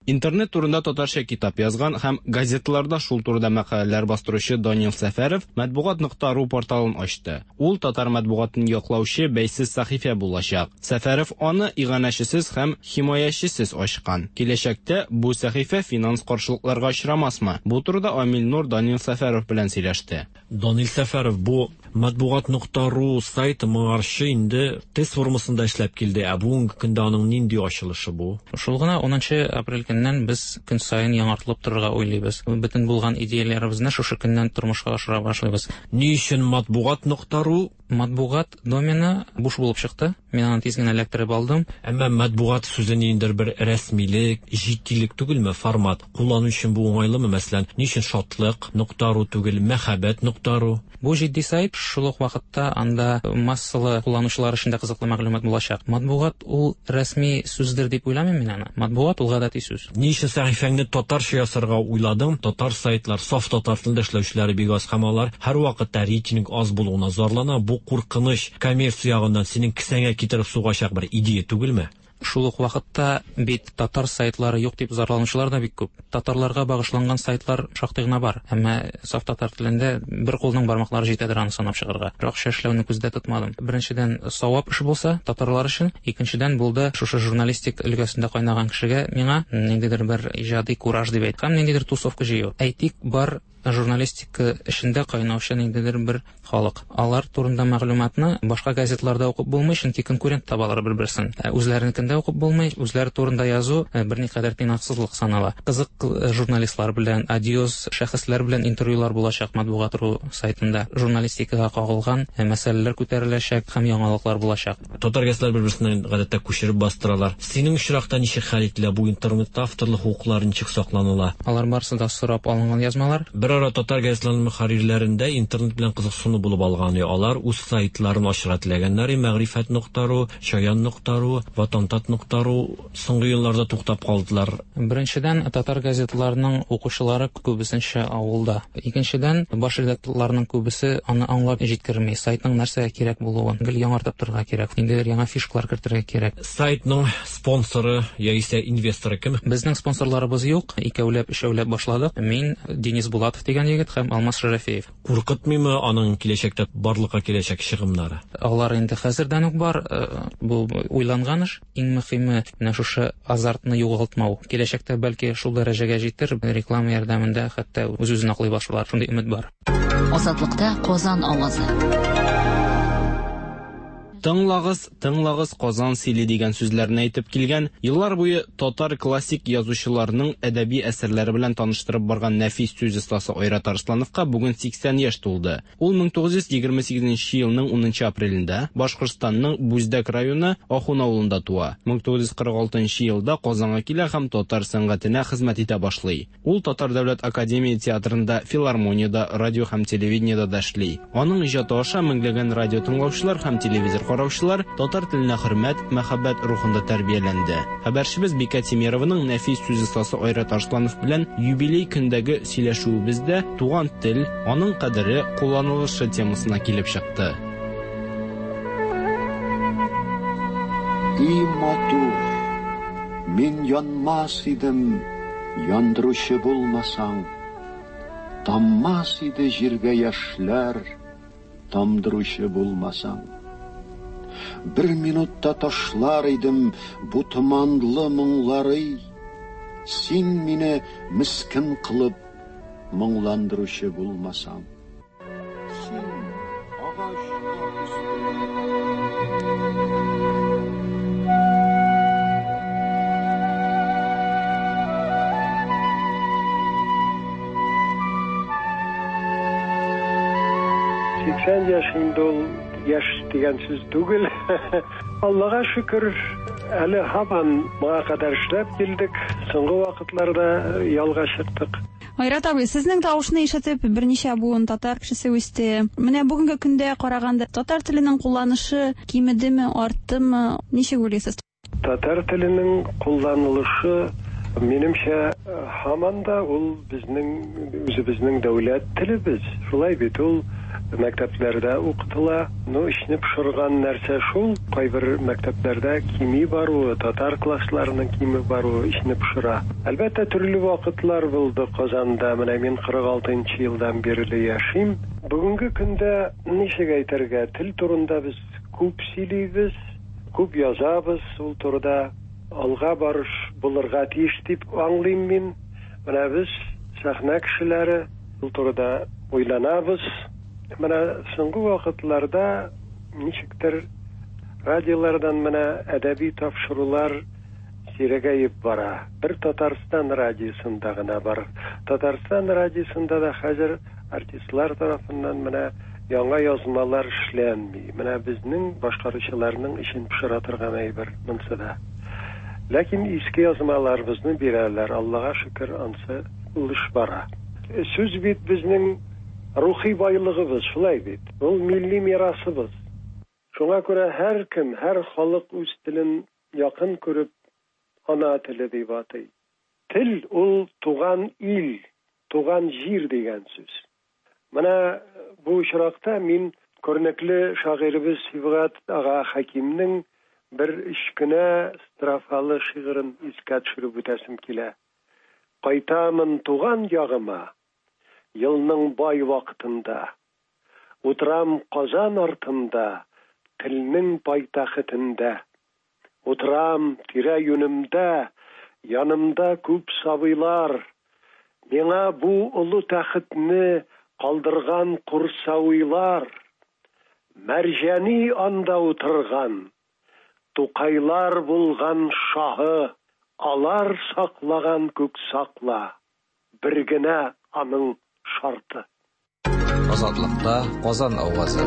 Интернет турында татарча китап язган һәм газеталарда шул турыда мәкаләләр бастыручы Данил Сәфәров матбугат.ру порталын ачты. Ул татар матбугатын яклаучы бәйсез сәхифә булачак. Сәфәров аны иганәчесез һәм химаячесез ачкан. Киләчәктә бу сәхифә финанс каршылыкларга очрамасмы? Бу турыда Амил Нур Данил Сәфәров белән сөйләште. Данил Сәфәров, бу матбугат.ру сайты моңарчы инде тест формасында эшләп килде. Ә бүгенге көндә аның нинди ачылышы бу? Шул гына 10 апрель көннән без көн саен яңартылып торырга уйлыйбыз. Бөтен булган идеяләребезне шушы көннән тормышка ашыра башлыйбыз. Ни өчен матбугат.ру? Матбугат домены буш булып чыкты. Мин аны тиз генә эләктереп алдым. Әмма матбугат сүзе ниндидер бер рәсмилек, җитдилек түгелме, формат? Куллану өчен бу уңайлымы, мәсәлән, ни өчен шатлык .ру түгел, мәхәббәт .ру? Бу җитди сайт, шул ук вакытта анда массалы кулланучылар өчен дә кызыклы мәгълүмат булачак. Матбугат ул рәсми сүздер дип уйламыйм мин аны. Матбугат ул гадәти сүз. Ни өчен сәхифәңне татарча ясарга уйладың? Татар сайтлар, саф татар телендә эшләүчеләре бик аз һәм алар һәрвакытта рейтинг аз булуына зарлана. Бу куркыныч коммерция ягыннан синең кесәңә китереп сугачак бер идея түгелме? Шул ук вакытта бит татар сайтлары юк дип зарланучылар да бик күп. Татарларга багышланган сайтлар шактый гына бар. Әмма саф татар телендә бер кулның бармаклары җитәдер аны санап чыгарга. Акча эшләүне күздә тотмадым. Беренчедән, савап эш булса татарлар өчен, икенчедән булды шушы журналистик өлкәсендә кайнаган кешегә миңа ниндидер бер иҗади кураж дип әйт. Һәм ниндидер тусовка җыю. Әйтик, бар журналистика эшендә кайнаучы ниндидер бер халык. Алар турында мәгълүматны башка газетларда укып булмый, чөнки конкурент табалар бер-берсен. Үзләренекендә укып булмый, үзләре турында язу берникадәр тыйнаксызлык санала. Кызык журналистлар белән, одиоз шәхесләр белән интервьюлар булачак матбугат.ру сайтында. Журналистикага кагылган мәсьәләләр күтәреләчәк һәм яңалыклар булачак. Татар газетлары бер-берсеннән гадәттә күчереп бастыралар. Синең очракта ничек хәл ителә бу интернетта авторлык хокуклары ничек сакланыла? Алар барысы да сорап алынган язмалар. Бер ара татар газетларының мөхәррирләрендә интернет белән кызыксыну булып алган. Алар үз сайтларын ачырга теләгәннәр. Мәгърифәт.ру, Чаян.ру, Ватантат.ру соңгы елларда туктап калдылар. Беренчедән, татар газетларының укучылары күбесенчә авылда. Икенчедән, баш редакторларның күбесе аны аңлап җиткерми. Сайтның нәрсәгә кирәк булуын гел яңартып торырга кирәк. Ниндидер яңа фишкалар кертергә кирәк. Сайтның спонсоры яисә инвесторы кем? Безнең спонсорларыбыз юк. Икәүләп, өчәүләп башладык. Мин, Денис Булатов дигән егет һәм Алмаз Шәрәфиев. Куркытмыймы аның киләчәктә барлыкка киләчәк чыгымнары? Алар инде хәзердән үк бар. Бу уйланган эш. Иң мөһиме менә шушы азартны югалтмау. Киләчәктә бәлки шул дәрәҗәгә җитер, реклама ярдәмендә хәтта үз-үзен аклый башлар. Шундый өмет бар. Азатлыкта Казан авазы. Тыңлагыз, тыңлагыз Казан сөйли дигән сүзләрне әйтеп килгән, еллар буе татар классик язучыларының әдәби әсәрләре белән таныштырып барган нәфис сүз остасы Айрат Арслановка бүген 80 яшь тулды. Ул 1928 елның 10 апрелендә Башкортстанның Бүздәк районы Ахун авылында туа. 1946 елда Казанга килә һәм татар сәнгатенә хезмәт итә башлый. Ул Татар дәүләт академия театрында, филармониядә, радио һәм телевидениедә дә эшли. Аның иҗаты аша меңләгән радио тыңлаучылар һәм телевизор караучылар татар теленә хөрмәт, мәхәббәт рухында тәрбияләнде. Хәбәрчебез Бикә Тимированың нәфис сүз остасы Айрат Арсланов белән юбилей көндәге сөйләшүебездә туган тел, аның кадере, кулланылышы темасына килеп чыкты. И матур, мин янмас идем, яндыручы булмасаң, таммас иде җиргә яшьләр, тамдыручы булмасаң. Бер минутта ташлар идем бу томанлы моңлары, син мине мискен кылып моңландыручы булмасаң. Син агач 80 яшь инде ул яшь дигән сүз түгел. Аллага шөкер, әле һаман моңа кадәр эшләп килдек. Соңгы вакытларда ялга чыктык. Айрат абый, сезнең тавышны ишетеп, берничә буын татар кешесе үсте. Менә бүгенге көндә караганда, татар теленең кулланышы кимедеме, арттымы? Ничек уйлыйсыз? Татар теленең кулланылышы, минемчә, һаман да ул безнең үзебезнең дәүләт телебез. Шулай бит ул мәктәпләрдә укытыла. Ну, эчне пошырган нәрсә шул, кайбер мәктәпләрдә кими баруы, татар классларының кими баруы эчне пошыра. Әлбәттә, төрле вакытлар булды Казанда. Менә мин 46 нчы елдан бирле яшим. Бүгенге көндә, ничек әйтергә, тел турында без күп сөйлибез, күп язабыз, ул турыда алга барыш булырга тиеш дип аңлыйм мин. Менә без, сәхнә кешеләре, ул турыда уйланабыз. Менә соңгы вакытларда ничектер радиолардан менә әдәби тапшырулар сирәгәеп бара. Бер Татарстан радиосында гына бар. Татарстан радиосында да хәзер артистлар тарафыннан менә яңа язмалар эшләнми. Менә безнең башкаручыларның эчен пошыра торган әйбер монсы да. Ләкин иске язмаларыбызны бирәләр, Аллага шөкер, ансы ул эш бара. Сүз бит безнең рухи байлыгыбыз, шулай бит. Ул милли мирасыбыз. Шуңа күрә һәркем, һәр халык үз телен якын күреп, ана теле дип атый. Тел ул туган ил, туган җир дигән сүз. Менә бу очракта мин күренекле шагыйребез Сибгат ага Хәкимнең бер өч кенә строфалы шигырен искә төшереп үтәсем килә. Кайтамын туган ягыма, Елның бай вакытында. Утырам Казан артында, Телнең пайтәхетендә. Утырам тирә-юнемдә, Янымда күп сабыйлар. Миңа бу олы тәхетне Калдырган Курсавилар. Мәрҗани анда утырган, Тукайлар булган шаһы, Алар саклаган күк сакла, Бер генә аның шарты. Азатлыкта Казан авазы.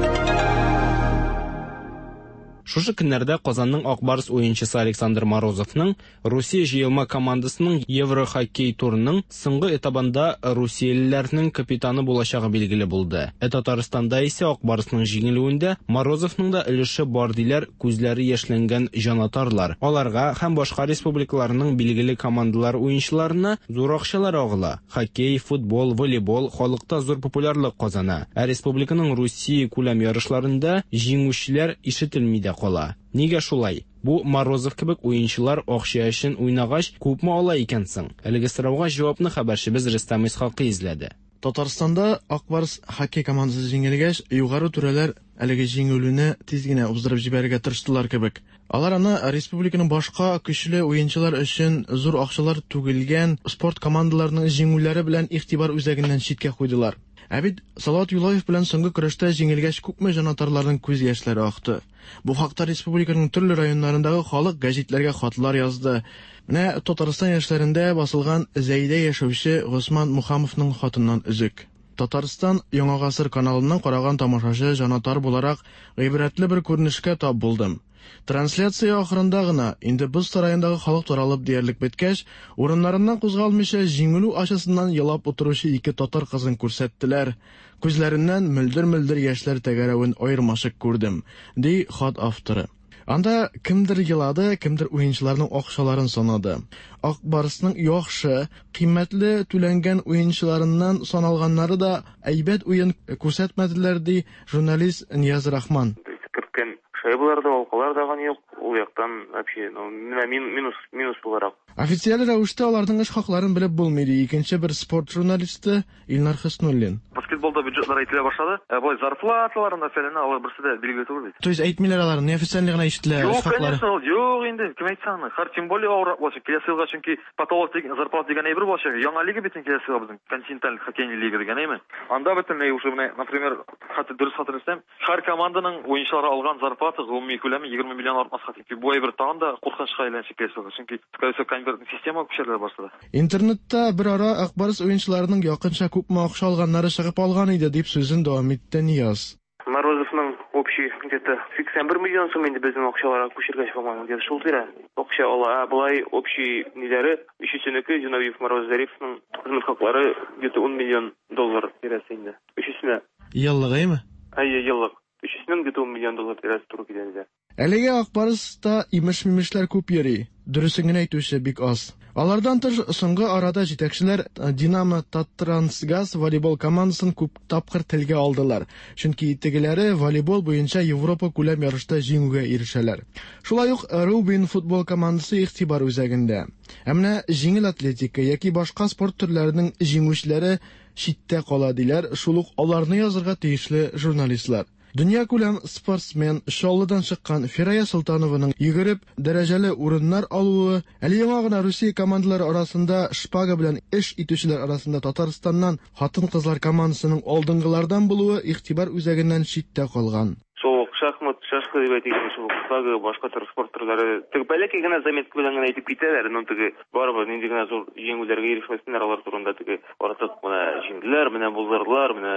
Шушы көннәрдә Казанның Ак Барс уенчысы Александр Морозовның Русия җыелма командасының Еврохоккей турының соңгы этабында русиялеләрнең капитаны булачагы билгеле булды. Ә Татарстанда исә Ак Барсның җиңелүендә Морозовның да өлеше бар диләр күзләре яшьләнгән җанатарлар. Аларга һәм башка республикаларның билгеле командалар уенчыларына зур акчалар агыла. Хоккей, футбол, волейбол халыкта зур популярлык казана. Ә республиканың Русия күләм ярышларында җиңүчеләр ишетелми дә кала. Нигә шулай? Бу Морозов кебек уенчылар акча өчен уйнагач, күпме ала икән соң? Әлеге сорауга җавапны хәбәрчебез Рөстәм Исхакый эзләде. Татарстанда Ак Барс хоккей командасы җиңелгәч, югары түрәләр әлеге җиңелүне тиз генә уздырып җибәрергә тырыштылар кебек. Алар аны республиканың башка көчле уенчылар өчен зур акчалар түгелгән спорт командаларының җиңүләре белән игътибар үзәгеннән читкә куйдылар. Ә бит Салават Юлаев белән соңгы көрәштә җиңелгәч күпме җанатарларның күз яшьләре акты. Бу хакта республиканың төрле районнарындагы халык гәҗитләргә хатлар язды. Менә Татарстан яшьләрендә басылган Зәйдә яшәүче Госман Мухамовның хатыннан өзек. Татарстан Яңа гасыр каналыннан караган тамашачы җанатар буларак гыйбрәтле бер күренешкә тап булдым. Трансляция ахырында гына, инде боз сараендагы халык таралып диярлек беткәч, урыннарыннан кузгалмыйча җиңелү ачысыннан елап утыручы ике татар кызын күрсәттеләр. Күзләреннән мөлдер-мөлдер яшьләр тәгәрәвен аермачык күрдем, ди хат авторы. Анда кемдер елады, кемдер уенчыларның акчаларын санады. Ак Барсның яхшы, кыйммәтле түләнгән уенчыларыннан саналганнары да әйбәт уен күрсәтмәделәр, ди журналист Нияз Рахман. Керткән шайбалар да, алкалар да юк. Ул яктан вообще, ну, менә минус, минус буларак. Официаль рәвештә аларның эш хакларын белеп булмый, ди икенче бер спорт журналисты Илнар Хөснуллин. Баскетболда бюджетлар әйтелә башлады. Ә болай зарплаталарын да фәлән алар берсе дә билгеле түгел бит. То есть әйтмиләр алар, неофициальный гына ишетелә эш Юк, хаклары. конечно, ул юк инде, кем әйтсә аны. Хәр тем более авыррак булачак. Киләсе елга чөнки потолок дигән зарплата дигән әйбер булачак. Яңа лига бит инде киләсе елга безнең континенталь хоккейный лига дигән әйме. Анда бөтенләй уже менә, например, хәтта дөрес хәтерләсәм, һәр команданың уенчылары алган зарплата гомуми күләме 20 миллион артмаска тиң. Бу әйбер тагын да куркынычка әйләнәчәк киләсе елга. Чөнки, скорее всего, конвертный система күчәрелә башлады. Интернетта бер ара Ак Барс уенчыларының якынча күпме акча алганнары чыгып алган иде, дип сүзен дәвам итте Нияз. Морозовның общий где-то 81 миллион сум инде безнең акчаларга күчергәч, по-моему, где-то шул тирә акча ала. Ә болай общий ниләре, өчесенеке, Зиновьев, Мороз, Зариповның хезмәт хаклары где-то 10 миллион доллар тирәсе инде. Өчесенә. Еллык, әйме? Әйе, еллык. Өчесенең где-то 10 миллион доллар тирәсе туры килә инде. Әлегә Ак Барс та имеш-мимешләр күп йөри, дөресен генә әйтүче бик аз. Алардан тыш, соңгы арада җитәкчеләр Динамо Таттрансгаз волейбол командасын күп тапкыр телгә алдылар, чөнки тегеләре волейбол буенча Европа күләм ярышта җиңүгә ирешәләр. Шулай ук Рубин футбол командасы игътибар үзәгендә. Ә менә җиңел атлетика яки башка спорт төрләренең җиңүчеләре читтә кала, диләр шул ук аларны язырга тиешле журналистлар. Дөньякүләм спортсмен, Чаллыдан чыккан Фирая Солтанованың йөгереп, дәрәҗәле урыннар алуы, әле яңа гына Русия командалары арасында шпага белән эш итүчеләр арасында Татарстаннан хатын-кызлар командасының алдынгылардан булуы игътибар үзәгеннән читтә калган. Шул ук шахмат, шашка дип әйтик инде, шул ук шпага, башка төр спорт төрләре. Теге бәләкәй генә заметка белән генә әйтеп китәләр, но теге барыбер нинди генә зур җиңүләргә ирешмәсеннәр, алар турында теге артык менә җиңделәр, менә булдырдылар, менә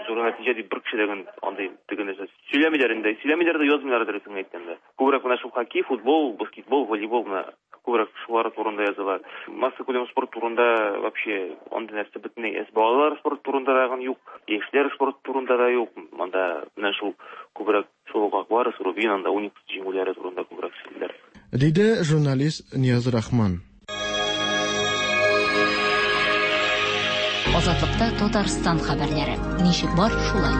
зур нәтиҗә дип бер кеше дә андый теге нәрсә сөйләмиләр инде. Сөйләмиләр дә, язмыйлар дөресен әйткәндә. Күбрәк менә шул хоккей, футбол, баскетбол, волейбол менә күбрәк шулар турында язалар. Массакүләм спорт турында вообще андый нәрсә бөтенләй әз. Балалар спорт турында да юк, яшьләр спорт турында да юк. Монда менә шул күбрәк шул ук Ак Барс, Рубин, анда Уникс җиңүләре турында күбрәк сөйлиләр. Диде журналист Нияз Рахман. Азатлыкта Татарстан хәбәрләре. Ничек бар, шулай.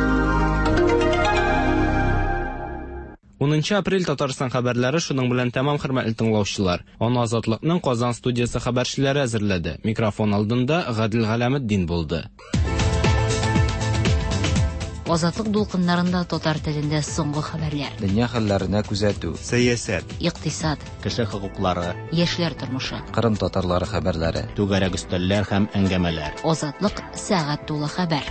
10 апрель Татарстан хәбәрләре шуның белән тәмам, хөрмәтле тыңлаучылар. Аны Азатлыкның Казан студиясе хәбәрчеләре әзерләде. Микрофон алдында Гадел Галәметдин булды. Азатлык дулкыннарында татар телендә соңгы хәбәрләр. Дөнья хәлләренә күзәтү. Сәясәт. Икътисад. Кеше хокуклары. Яшьләр тормышы. Кырым татарлары хәбәрләре. Түгәрәк өстәлләр һәм әңгәмәләр. Азатлык сәгать тулы хәбәр.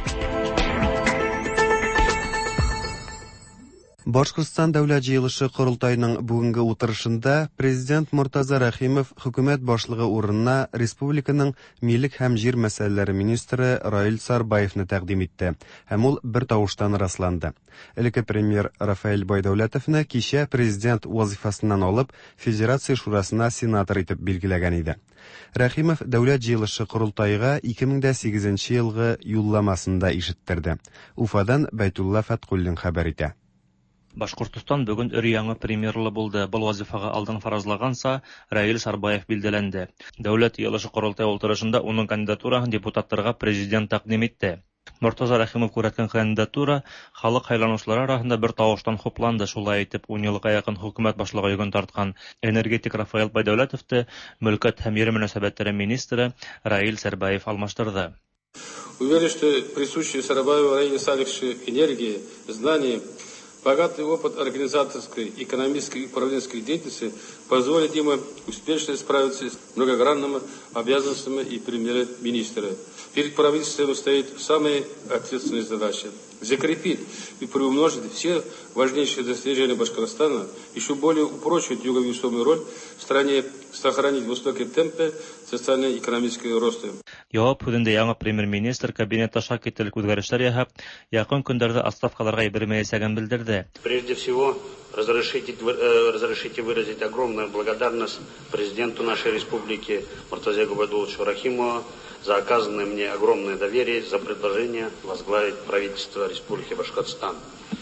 Башкортстан Дәүләт җыелышы корылтаеның бүгенге утырышында президент Мортаза Рәхимов хөкүмәт башлыгы урынына республиканың милек һәм җир мәсьәләләре министры Раил Сарбаевны тәкъдим итте һәм ул бер тавыштан расланды. Элекке премьер Рафаэль Байдәүләтовны кичә президент вазифасыннан алып, Федерация шурасына сенатор итеп билгеләгән иде. Рәхимов Дәүләт җыелышы корылтайга 2008 елгы юлламасын да ишеттерде. Уфадан Бәйтулла Фәткуллин хәбәр итә. Башкортостан бүген өр-яңа премьерлы булды. Был вазифаға алдан фаразлаганса, Раил Сарбаев билдәләнде. Дәүләт йыелышы корылтай ултырышында уның кандидатураһын депутаттарга президент тәкъдим итте. Мортаза Рәхимов күрһәткән кандидатура халык һайланучылар арасында бер тавыштан хупланды. Шулай итеп, 10 елга якын хөкүмәт башлыгы йөген тарткан энергетик Рафаэль Байдәүләтовты мөлкәт һәм ер мөнәсәбәтләре министры Раил Сарбаев алмаштырды. Уверен, что присущие Сарабаеву Раилю Салиховичу энергии, знания, богатый опыт организаторской, экономической и управленческой деятельности позволит ему успешно справиться с многогранными обязанностями и премьер-министра. Перед правительством стоит самая ответственная задача – закрепить и приумножить все важнейшие достижения Башкортостана, еще более упрочить его весомую роль в стране, сохранить высокие темпы социально-экономического роста. Яуап һүҙендә яңы премьер-министр кабинетта шакетелек үҙгәрештәр яһап, яҡын көндәрҙә отставкаларға ебәрмәйәсәген белдерҙе. Прежде всего, разрешите выразить огромную благодарность президенту нашей республики Муртазе Губайдулловичу Рахимову за оказанное мне огромное доверие, за предложение возглавить правительство Республики Башкортостан.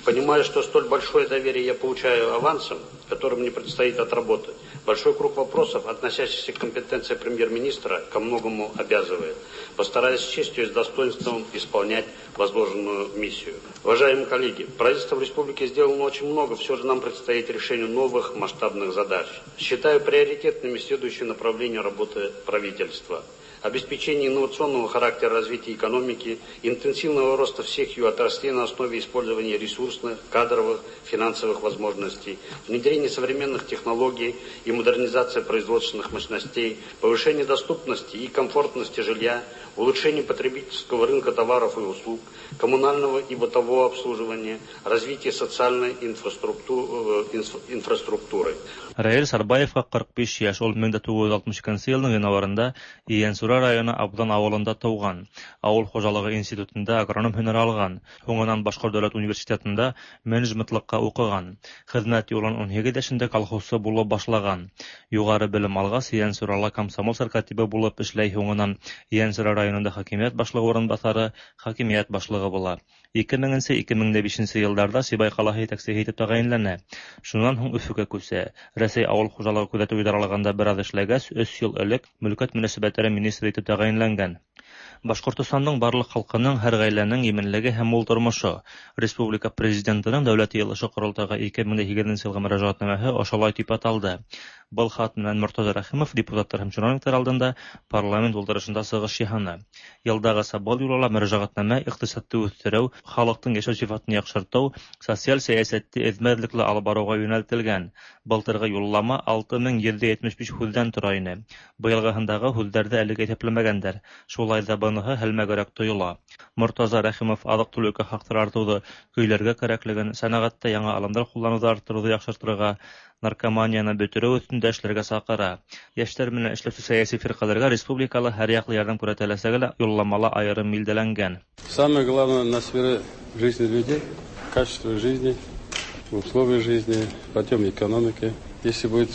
Понимаю, что столь большое доверие я получаю авансом, который мне предстоит отработать. Большой круг вопросов, относящихся к компетенции премьер-министра, ко многому обязывает. Постараюсь с честью и с достоинством исполнять возложенную миссию. Уважаемые коллеги, правительство в республике сделано очень много, все же нам предстоит решение новых масштабных задач. Считаю приоритетными следующие направления работы правительства. Обеспечение инновационного характера развития экономики, интенсивного роста всех ее отраслей на основе использования ресурсных, кадровых, финансовых возможностей, внедрение современных технологий и модернизация производственных мощностей, повышение доступности и комфортности жилья, улучшение потребительского рынка товаров и услуг, коммунального и бытового обслуживания, развитие социальной инфраструктуры. Раил Сарбаевка 45 яшь, ул 1962 елның январында Иенсура Ейәнсура районы Абдан авылында тыуған. Ауыл хужалығы институтында агроном һөнәре алған. Һуңынан Башҡорт дәүләт университетында менеджментлыҡҡа уҡыған. Хеҙмәт юлын 18 йәшендә колхозсы булып башлаған. Юғары белем алғас, Ейәнсурала комсомол сәркатибы булып эшләй, һуңынан Ейәнсура районында хакимиәт башлығы урынбаҫары, хакимиәт башлығы була. 2000-2005 йылдарҙа Сибай ҡалаһы етәксеһе итеп тәғәйенләнә. Шунан һуң Өфөгә күсә. Рәсәй ауыл хужалығы күҙәтеү идаралығында бер аҙ эшләгәс, 3 йыл элек мөлкәт мөнәсәбәттәре министры итеп тәғәйенләнгән. Башҡортостандың барлыҡ халҡының, һәр ғаиләнең именлеге һәм мул тормошо. Республика президентының Дәүләт Йыйылышы ҡоролтайға 2008 йылғы мөрәжәғәтнамәһе ошолай тип аталды. Был хат менән Мортаза Рәхимов депутаттар һәм чиновниктар алдында парламент ултырышында сығыш яһаны. Йылдағыса был юлы ла мөрәжәғәтнамә иҡтисадты үҫтереү, халыҡтың йәшәү сифатын яҡшыртыу, социаль сәйәсәтте эҙмә-эҙлекле алып барыуға йүнәлтелгән. Былтырғы юллама 6175 һүҙҙән тора ине. Быйылғыһындағы һүҙҙәрҙе әлегә иҫәпләмәгәндәр. Шулай ҙа быныһы һәлмәгерәк тойола. Мортаза Рәхимов аҙыҡ-түлеккә хаҡтар артыуҙы көйләргә кәрәклеген, сәнәғәттә яңы алымдар ҡулланыуҙы арттырыуҙы яҡшыртырға, наркоманияны бөтөрөү өҫтөндә эшләргә саҡыра. Йәштәр менән эшләүсе сәйәси фирҡәләргә республикала һәр яҡлы ярҙам күрһәтеләсәге лә юлламала айырым билдәләнгән. Самое главное на сфере жизни людей, качество жизни, условия жизни, подъем экономики. Если будет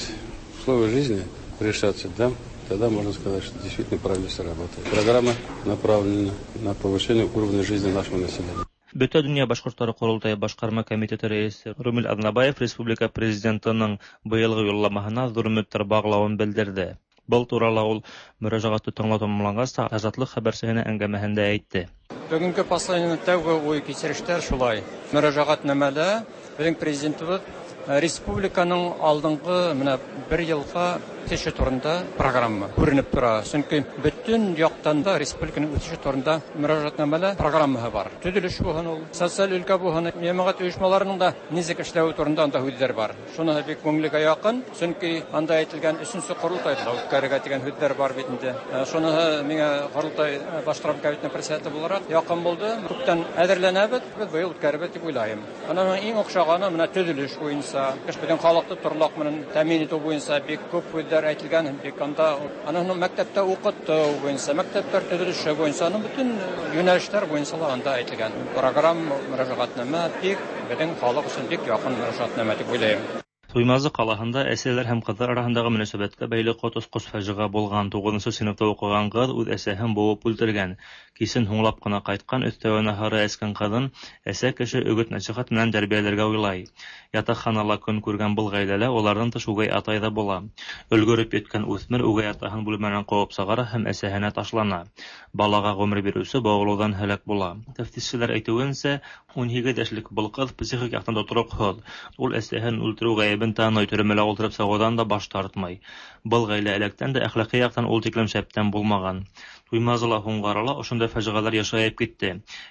условия жизни решаться, да, тогда можно сказать, что действительно правильно работает. Программа направлена на повышение уровня жизни нашего населения. Бөтә донъя башҡорттары ҡоролтайы башҡарма комитеты рәйесе Румил Аҙнабаев республика президентының быйылғы юлламаһына ҙур өмөттәр бағлауын белдерҙе. Был турала ул мөрәжәғәтте тыңлау тамамланғас та Азатлыҡ хәбәрсеһенә әңгәмәһендә әйтте. Бөгөнгө посланиеның тәүге уй кисерештәр шулай. Мөрәжәғәтнамәлә беҙҙең президентыбыҙ республиканың алдынғы менә бер йылға үҫеше турында программа күренеп тора. Сөнки бөтөн яҡтан да республиканың үҫеше турында мөрәжәғәтнамәлә программаһы бар. Төҙөлөш булһын ул, социаль өлкә булһын, йәмәғәт ойошмаларының да нисек эшләүе турында анда һүҙҙәр бар. Шуныһы бик күңелгә яҡын, сөнки анда әйтелгән өсөнсө ҡоролтайҙы ла үткәрергә тигән һүҙҙәр бар бит инде. Шуныһы миңә ҡоролтай башҡарма комитетының председателе булараҡ яҡын булды. Күптән әҙерләнәбеҙ, беҙ быйыл үткәрербеҙ тип уйлайым. Аның иң оҡшағаны менә төҙөлөш буйынса, беҙҙең халыҡты торлаҡ менән тәьмин итеү буйынса бик күп һүҙҙәр әйтелгән, бик анда аның мәктәптә уҡытыу буйынса, мәктәптәр төҙөлөшө буйынса, аның бөтөн йүнәлештәр буйынса ла анда әйтелгән. Программа мөрәжәғәтнамә бик беҙҙең халыҡ өсөн бик яҡын мөрәжәғәтнамә тип уйлайым. Туймазы ҡалаһында әсәләр һәм ҡыҙҙар араһындағы мөнәсәбәткә бәйле ҡот осҡос фажиғә булған. 9-нсо синыфта уҡыған ҡыҙ үҙ әсәһен быуып үлтергән. Кисен һуңлап ҡына ҡайтҡан, өҫтәүенә һары эскән ҡыҙын әсә кеше өгөт-нәсихәт менән тәрбиәләргә уйлай. Ятаҡханала көн күргән был ғаиләлә уларҙан тыш үгәй атай ҙа була. Өлгөрөп еткән үҫмер үгәй атаһын бүлмәнән ҡыуып сығара һәм әсәһенә ташлана. Балаға ғүмер биреүсе быуылыуҙан һәләк була. Тәфтишселәр әйтеүенсә, 18 йәшлек был ҡыҙ психик яҡтан тотороҡһоҙ. Ул әсәһен үлтереү ғәйебен таный, төрмәлә ултырып сығыуҙан да баш тартмай. Был ғаилә электән дә әхлаҡи яҡтан ул тиклем шәптән булмаған. Туймазыла, Һуңғарала ошондай фажиғәләр йышайып китте.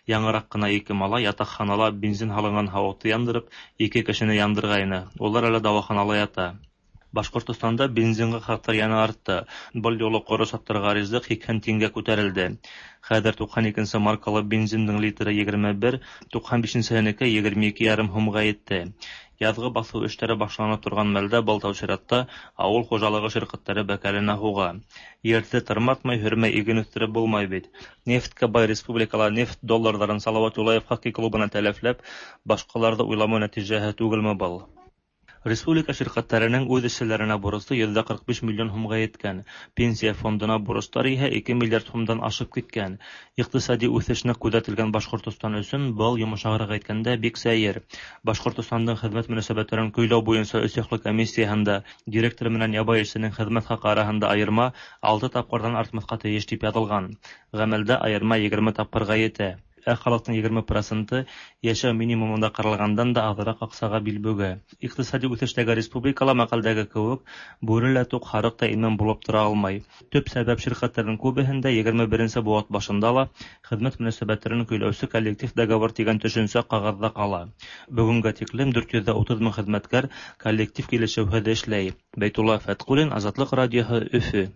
Яңыраҡ ҡына ике малай ятаҡханала бензин һалынған һауытты яндырып, ике кешене яндырғайны. Улар әле дауаханала ята. Башҡортостанда бензинға хаҡтар йәнә артты. Был юлы ҡоро саттарға ризыҡ 80 тиңгә күтәрелде. Хәҙер 92-нсе маркалы бензиндың литры 21, 95-нсеһенеке 22,5 һумға етте. Яҙғы баҫыу эштәре башланып торған мәлдә был тәү сиратта ауыл хужалығы ширкәттәре бәкәленә һуға. Ерҙе тырматмай, һөрмәй иген үҫтереп булмай бит. Нефткә бай республикала нефть долларҙарын Салауат Юлаев хоккей клубына тәләфләп, башҡаларҙы уйламау нәтижәһе түгелме был? Республика ширкәттәренең үҙ эшселәренә бурысы 145 миллион һумға еткән. Пенсия фондына бурыстар иһә 2 миллиард һумдан ашып киткән. Иҡтисади үҫеш ныҡ күҙәтелгән Башҡортостан өсөн был, йомшағыраҡ әйткәндә, бик сәйер. Башҡортостандың хеҙмәт мөнәсәбәттәрен көйләү буйынса өс яҡлы комиссияһында директор менән ябай эшсенең хеҙмәт хаҡы араһында айырма 6 тапҡырҙан артмаҫҡа тейеш тип яҙылған. Ғәмәлдә айырма 20 тапҡырға етә. Ә халыҡтың 20% йәшәү минимумында ҡаралғандан да аҙыраҡ аҡсаға бил бөгә. Иҡтисади үҫештәге республикала мәҡәлдәге кеүек бүре лә туҡ, һарыҡ та имен булып тора алмай. Төп сәбәп ширкәттәрҙең күбеһендә 21-нсе быуат башында ла хеҙмәт мөнәсәбәттәрен көйләүсе коллектив договор тигән төшөнсә ҡағыҙҙа ҡала. Бөгөнгә тиклем 430 мең хеҙмәткәр коллектив килешеүһеҙ эшләй. Бәйтулла Фәтҡуллин, Азатлыҡ радиоһы, Өфө.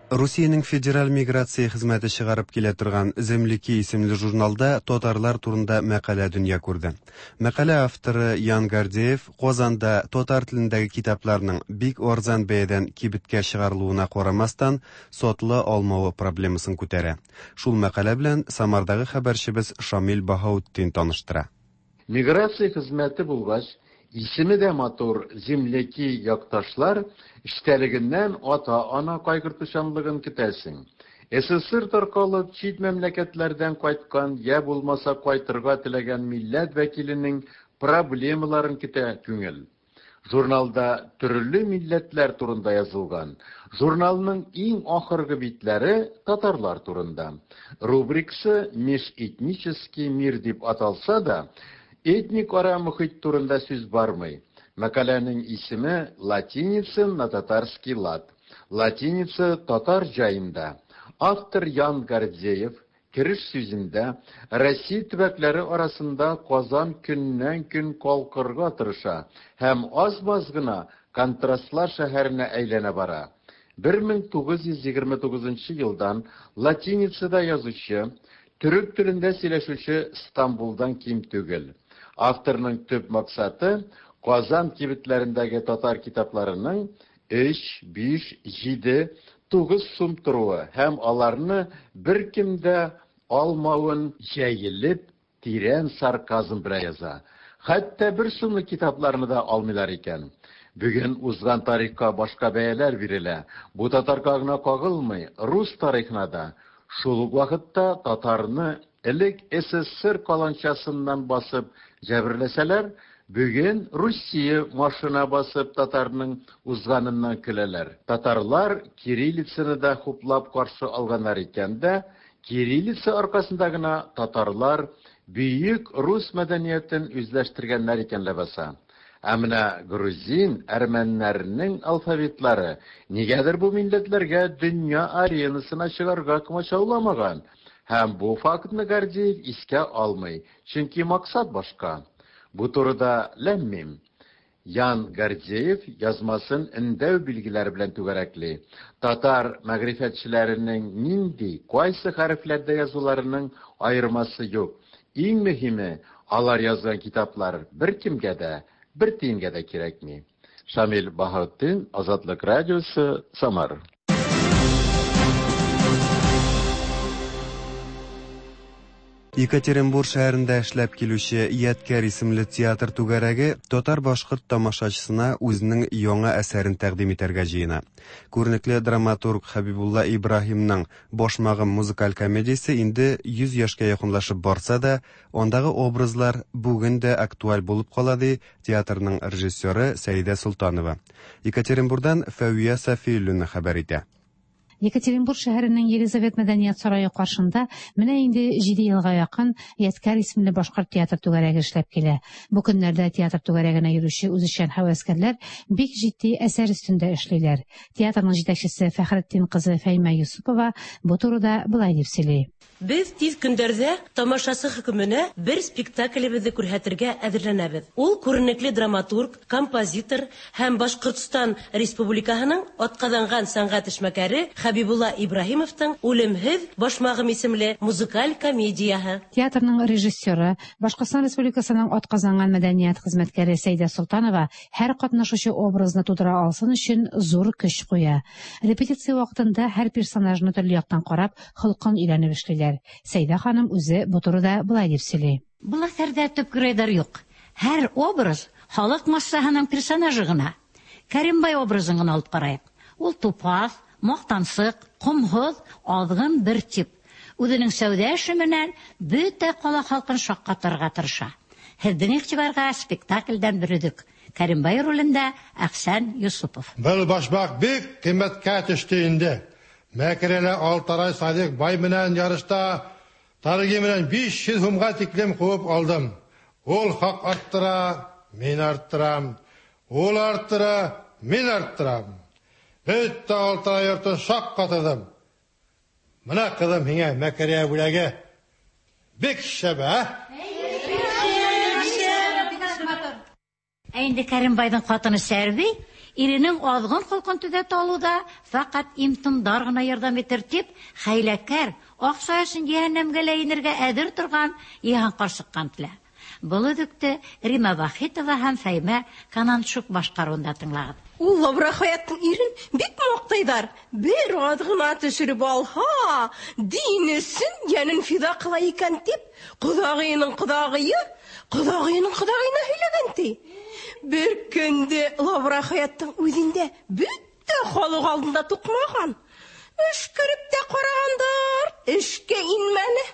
Русиянең Федераль миграция хезмәте чыгарып килә торган Земляки исемле журналда татарлар турында мәкалә дөнья күрде. Мәкалә авторы Ян Гордеев Казанда татар телендәге китапларның бик арзан бәядән кибеткә чыгарылуына карамастан, сатыла алмавы проблемасын күтәрә. Шул мәкалә белән Самардагы хәбәрчебез Шамил Баһаутдин таныштыра. Миграция хезмәте булгач, исеме дә матур Земляки якташлар эчтәлегеннән ата-ана кайгыртучанлыгын көтәсең. СССР таркалып, чит мәмләкәтләрдән кайткан, я булмаса кайтырга теләгән милләт вәкиленең проблемаларын көтә күңел. Журналда төрле милләтләр турында язылган. Журналның иң ахыргы битләре татарлар турында. Рубрикасы Межэтнический мир дип аталса да, этник ара мохит турында сүз бармый. Мәкаләнең исеме Латиница на татарский лад. Латиница татар җаенда. Автор Ян Гордеев кереш сүзендә Россия төбәкләре арасында Казан көннән-көн калкырга тырыша һәм аз-маз гына контрастлар шәһәренә әйләнә бара. 1929 елдан латиницада язучы, төрек телендә сөйләшүче Стамбулдан ким түгел. Авторның төп максаты Казан кибетләрендәге татар китапларының 3, 5, 7, 9 сум торуы һәм аларны беркем дә алмавын җәелеп, тирән сарказм белән яза. Хәтта бер сумлык китапларны да алмыйлар икән. Бүген узган тарихка башка бәяләр бирелә. Бу татарга гына кагылмый, рус тарихына да. Шул ук вакытта татарны элек СССР каланчасыннан басып җәберләсәләр, бүген Русия машина басып татарның узганыннан көләләр. Татарлар кириллицаны да хуплап каршы алганнар икән дә, кириллица аркасында гына татарлар бөек рус мәдәниятен үзләштергәннәр икән ләбаса. Ә менә грузин, әрмәннәрнең алфавитлары нигәдер бу милләтләргә дөнья аренасына чыгарга комачауламаган. Һәм бу фактны Гордеев искә алмый, чөнки максат башка. Бу турыда ләм-мим. Ян Гордеев язмасын өндәү билгеләре белән түгәрәкли. Татар мәгърифәтчеләренең нинди, кайсы хәрефләрдә язуларының аермасы юк. Иң мөһиме, алар язган китаплар беркемгә дә, бер тиенгә дә кирәкми. Шамил Баһаутдин, Азатлык радиосы, Самар. Екатеринбур шәһәрендә эшләп килүче Ядкәр исемле театр түгәрәге татар-башкорт тамашачысына үзенең яңа әсәрен тәкъдим итәргә җыена. Күренекле драматург Хәбибулла Ибраһимның Башмагым музыкаль комедиясе инде 100 яшькә якынлашып барса да, андагы образлар бүген дә актуаль булып кала, ди театрның режиссеры Сәидә Солтанова. Екатеринбурдан Фәвия Сафиуллина хәбәр итә. Екатеринбург шәһәренең Елизавет мәдәният сарае каршында менә инде 7 елга якын Ядкәр исемле башкорт театр түгәрәге эшләп килә. Бу көннәрдә театр түгәрәгенә йөрүче үзешчән һәвәскәрләр бик җитди әсәр өстендә эшлиләр. Театрның җитәкчесе Фәхретдин кызы Фәймә Юсупова бу турыда болай дип сөйли. Без тиз көндәрдә тамашасы хөкеменә бер спектаклебезне күрһәтергә әзерләнәбез. Ул күренекле драматург, композитор һәм Башкортстан Республикаһының атказанган сәнгать эшмәкәре Хәбибулла Ибраһимовтың Үлемһез башмагым исемле музыкаль комедияһе. Театрның режиссеры, Башкортстан Республикасының атказанган мәдәният хезмәткәре Сәйдә Солтанова һәр катнашучы образны тудыра алсын өчен зур көч куя. Репетиция вакытында һәр персонажны төрле яктан карап, холкын өйрәнеп эшлиләр. Сәйдә ханым үзе бу турыда болай дип сөйли. Был әҫәрҙә төп геройҙар юҡ. Һәр образ халыҡ массаһының персонажы ғына. Кәримбай образын ғына алып ҡарайыҡ. Ул тупаҫ, маҡтансыҡ, ҡомһоҙ, аҙғын бер тип. Үҙенең сәүҙә эше менән бөтә ҡала халҡын шаҡҡатырға тырыша. Һеҙҙең иғтибарға спектаклдән бер өҙөк. Кәримбай ролендә Әхсән Юсупов. Был башмаҡ бик ҡиммәткә төштө инде. Мәкерәлә Алтарай Садиҡ бай менән ярышта тарги менән 500 һумға тиклем ҡыуып алдым. Ул хаҡ арттыра, мин арттырам. Ул арттыра, мин арттырам. Бөтә Алтарай йортон шаҡ ҡатырҙым. Мына ҡыҙым һиңә мәкерә бүләге. Бик шәп, ә? Ә инде Кәримбайҙың ҡатыны Сәрби Иренең азгын холкын төзәтә алуда фәкать им-томдар гына ярдәм итер дип, хәйләкәр, акча өчен җәһәннәмгә лә инергә әзер торган Йыһан карчыкка омтыла. Был өзекте Рима Вахитова һәм Фәймә Кананчук башкаруында тыңлагыз. Ул Лавра Хаяттың ирен бик мактыйдар. Бер аз гына төшереп алһа, дин өчен йәнен фида кыла икән дип, кодагыеның кодагые, кодагыеның кодагыена һөйләгән ти. Бер көндә Лавра Хаяттың үзендә бөтә халык алдында тукмаган. Өшкереп тә карагандар, эшкә инмәне.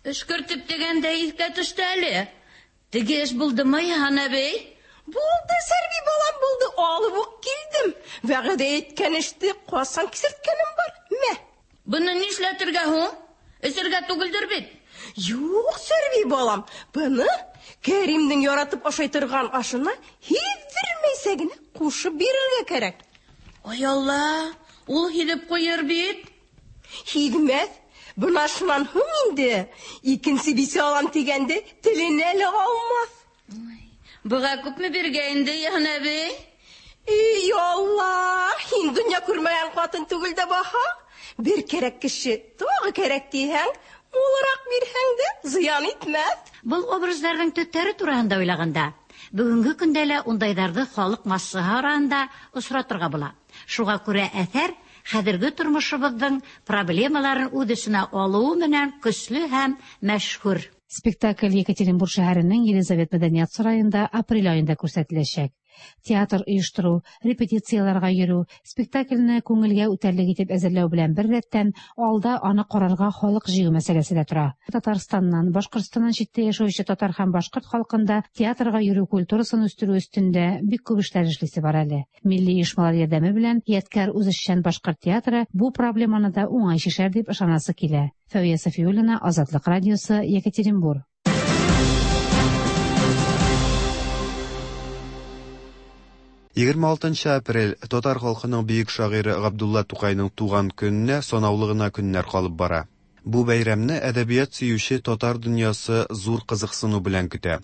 Өшкертеп дигәндә искә төште әле. Теге эш булдымы, Йыһан әбей? Булды, Сәрби балам, булды. Алып ук килдем. Вәгъдә иткән эште касан кисерткәнем бар. Мә. Буны нишләтергә һуң? Эчергә түгелдер бит? Юк, Сәрби балам, буны Кәримнең яратып ашай торган ашына һиздермәйсә генә кушып бирергә кәрәк. Ай Алла, ул һиҙеп ҡуйыр бит. Һиҙмәҫ. Бына шунан һуң инде икенсе бисә алам тигәнде теленә лә алмаҫ. Быға күпме биргә инде, Йыһан әбей? Эй, Алла, һин донъя күрмәгән ҡатын түгел дә баһа. Бер кәрәк кеше тағы кәрәк тиһәң, мулыраҡ бирһәң дә зыян итмәҫ. Был образдарҙың төптәре тураһында уйлағанда, бөгөнгө көндә лә ундайҙарҙы халыҡ массаһы араһында осратырға була. Шуға күрә әҫәр хәҙерге тормошобоҙҙоң проблемаларын үҙ эсенә алыуы менән көслө һәм мәшһүр. Спектакль Екатеринбург шәһәренең Елизавет мәдәният сараенда апрель аенда күрсәтеләчәк. Театр оештыру, репетицияләргә йөрү, спектакльне күңелгә үтәрлек итеп әзерләү белән бер рәттән, алда аны карарга халык җыю мәсьәләсе дә тора. Татарстаннан, Башкортстаннан читтә яшәүче татар һәм башкорт халкында театрга йөрү культурасын үстерү өстендә бик күп эшләр эшлисе бар әле. Милли оешмалар ярдәме белән Ядкәр үзешчән башкорт театры бу проблеманы да уңай чишәр дип ышанасы килә. Фәвия Сафиуллина, Азатлык радиосы, Екатеринбург. 26 апрель татар халкының бөек шагыйре Габдулла Тукайның туган көненә санаулы гына көннәр калып бара. Бу бәйрәмне әдәбият сөюче татар дөньясы зур кызыксыну белән көтә.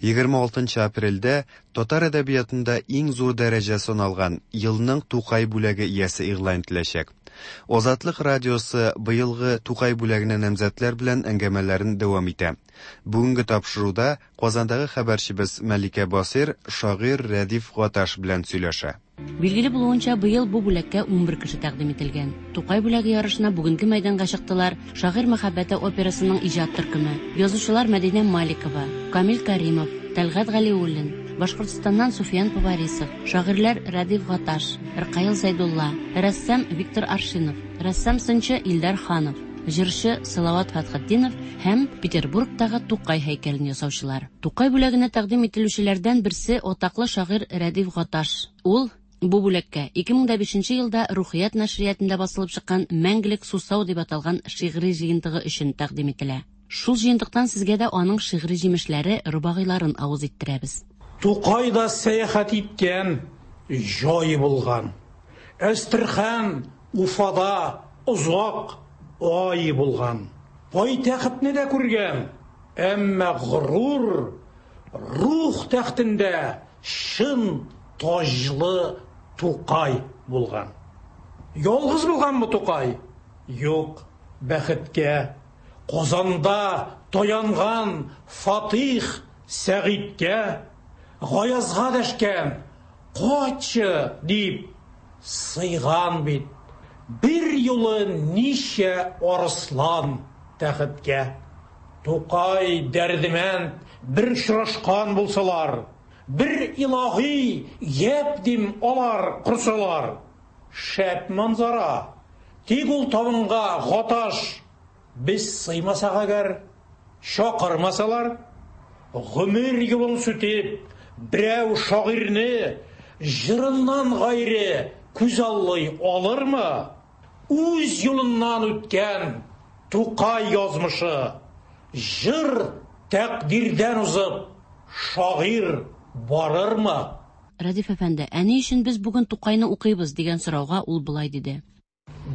26 апрельдә татар әдәбиятында иң зур дәрәҗә саналган елның Тукай бүләге иясе игълан ителәчәк. Азатлык радиосы быелгы Тукай бүләгенә намзәтләр белән әңгәмәләрен дәвам итә. Бүгенге тапшыруда Казандагы хәбәрчебез Мәликә Басир шагыйрь Рәдиф Гаташ белән сөйләшә. Билгеле булуынча, быел бу бүләккә 11 кеше тәкъдим ителгән. Тукай бүләге ярышына бүгенге мәйданга чыктылар Шагыйрь мәхәббәте операсының иҗат төркеме, язучылар Мәдинә Маликова, Камил Каримов, Тәлгать Галиуллин, Башкортстаннан Суфиян Поварисов, шагыйрьләр Рәдиф Гаташ, Ркаил Зәйдулла, рәссам Виктор Аршинов, рәссам-сынчы Илдар Ханов, җырчы Салават Фәтхетдинов һәм Петербургтагы Тукай һәйкәлен ясаучылар. Тукай бүләгенә тәкъдим ителүчеләрдән берсе атаклы шагыйрь Рәдиф Гаташ. Ул бу бүләккә 2005 елда Рухият нәшриятында басылып чыккан Мәңгелек сусау дип аталган шигъри җыентыгы өчен тәкъдим ителә. Шул җыентыктан сезгә дә аның шигъри җимешләре, рубагыйларын авыз иттерәбез. Тукай да сәяхәт иткән җай булган. Әстерхан Уфада озак ай булган. Пайтәхетне дә күргән, әмма горур рух тәхтендә чын таҗлы Тукай булган. Ялгыз булганмы Тукай? Юк, бәхеткә. Казанда таянган Фатих Сәгыйтькә, Гаязга дәшкән, кайтчы дип сыйган бит. Бер юлы ничә арыслан тәхеткә. Тукай Дәрдемәнд бер очрашкан булсалар, бер илаһи гәп дим алар корсалар. Шәп манзара. Тик ул табынга Гаташ без сыймасак әгәр, чакырмасалар, гомер юлын сүтеп, берәү шагыйрьне җырыннан гайре күзаллый алырмы? Үз юлыннан үткән Тукай язмышы, җыр тәкъдирдән узып, шагыйрь барырмы? Рәдиф әфәнде, ә ни өчен без бүген Тукайны укыйбыз дигән сорауга ул болай диде.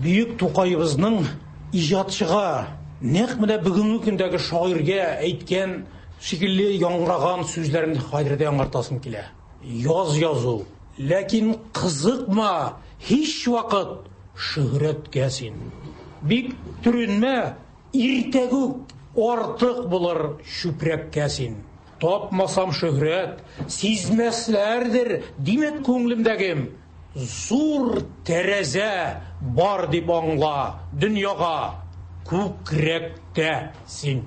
Бөек Тукаебызның иҗатчыга, нәкъ менә бүгенге көндәге шагыйрьгә әйткән шикелле яңгыраган сүзләрен хәзер дә яңартасым килә. Яз язу, Ләкин кызыкма һич вакыт шөһрәткә син. Бик төренмә, иртәгүк артык булыр чүпрәккә син. Тапмасам шөһрәт, сизмәсләрдер, димә күңлемдәгем. Зур тәрәзә бар дип аңла дөньяга, күкрәктә син.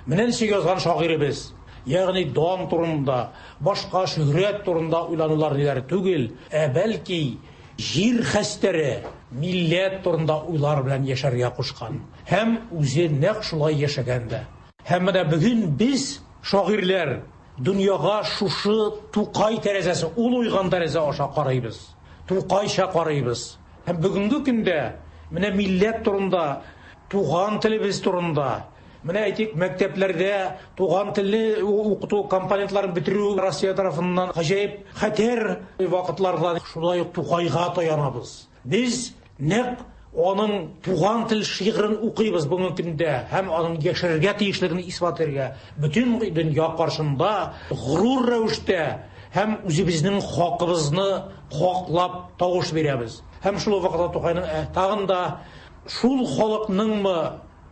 Менә ничек язган шагыйребез. Ягъни дан турында, башка шөһрәт турында уйланулар ниләр түгел, ә бәлки җир хәстәре, милләт турында уйлар белән яшәргә кушкан. Һәм үзе нәкъ шулай яшәгән дә. Һәм менә бүген без, шагыйрьләр, дөньяга шушы Тукай тәрәзәсе, ул уйган тәрәзә аша карыйбыз. Тукайча карыйбыз. Һәм бүгенге көндә менә милләт турында, туган телебез турында, менә әйтик, мәктәпләрдә туган телне укыту компонентларын бетерү Россия тарафыннан гаҗәеп хәтәр вакытларда шулай ук Тукайга таянабыз. Без нәкъ аның туган тел шигырен укыйбыз бүгенге көндә һәм аның яшәргә тиешлеген исбат итәргә бөтен дөнья каршында горур рәвештә һәм үзебезнең хакыбызны хаклап тавыш бирәбез. Һәм шул ук вакытта Тукайның тагын да шул халыкныңмы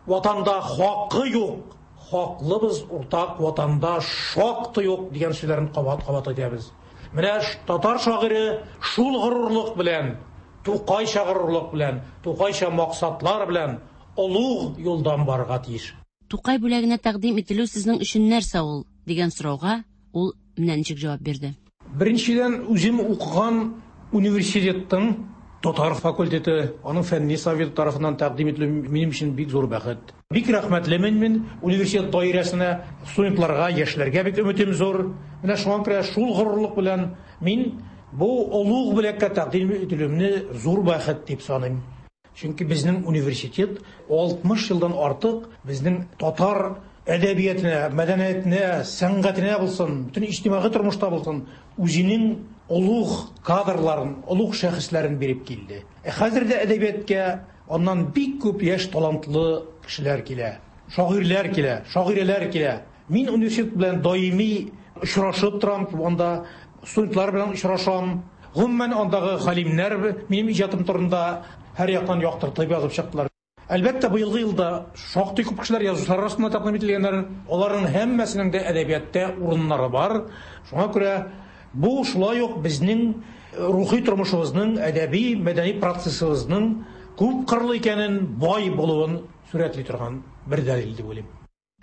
ватанда хакы юк, хаклыбыз уртак ватанда шактый юк дигән сүзләрен кабат-кабат әйтәбез. Менә татар шагыйре шул горурлык белән, Тукайча горурлык белән, Тукайча максатлар белән олуг юлдан барырга тиеш. Тукай бүләгенә тәкъдим ителү сезнең өчен нәрсә ул? дигән сорауга ул менә ничек җавап бирде. Беренчедән, үзем укыган университетның татар факультеты, аның фәнни советы тарафыннан тәкъдим ителү минем өчен бик зур бәхет. Бик рәхмәтлемен мин университет даирәсенә, студентларга, яшьләргә бик өметем зур. Менә шуңа күрә шул горурлык белән мин бу олуг бүләккә тәкъдим ителүемне зур бәхет дип саныйм. Чөнки безнең университет 60 елдан артык безнең татар әдәбиятына, мәдәниятенә, сәнгатенә булсын, бөтен иҗтимагый тормышта булсын, үзенең олуг кадрларын, олуг шәхесләрен биреп килде. Ә хәзер дә әдәбияткә аннан бик күп яшь талантлы кешеләр килә, шагыйрьләр килә, шагыйрәләр килә. Мин университет белән даими очрашып торам, анда студентлар белән очрашам. Гомумән, андагы галимнәр минем иҗатым турында һәр яктан яктыртып язып чыктылар. Әлбәттә, быелгы елда шактый күп кешеләр язучылар арасында тәкъдим ителгәннәр. Аларның һәммәсенең дә әдәбиятта урыннары бар. Шуңа күрә бу шулай ук безнең рухи тормышыбызның, әдәби, мәдәни процессыбызның күп кырлы икәнен, бай булуын сурәтли торган бер дәлил дип уйлыйм.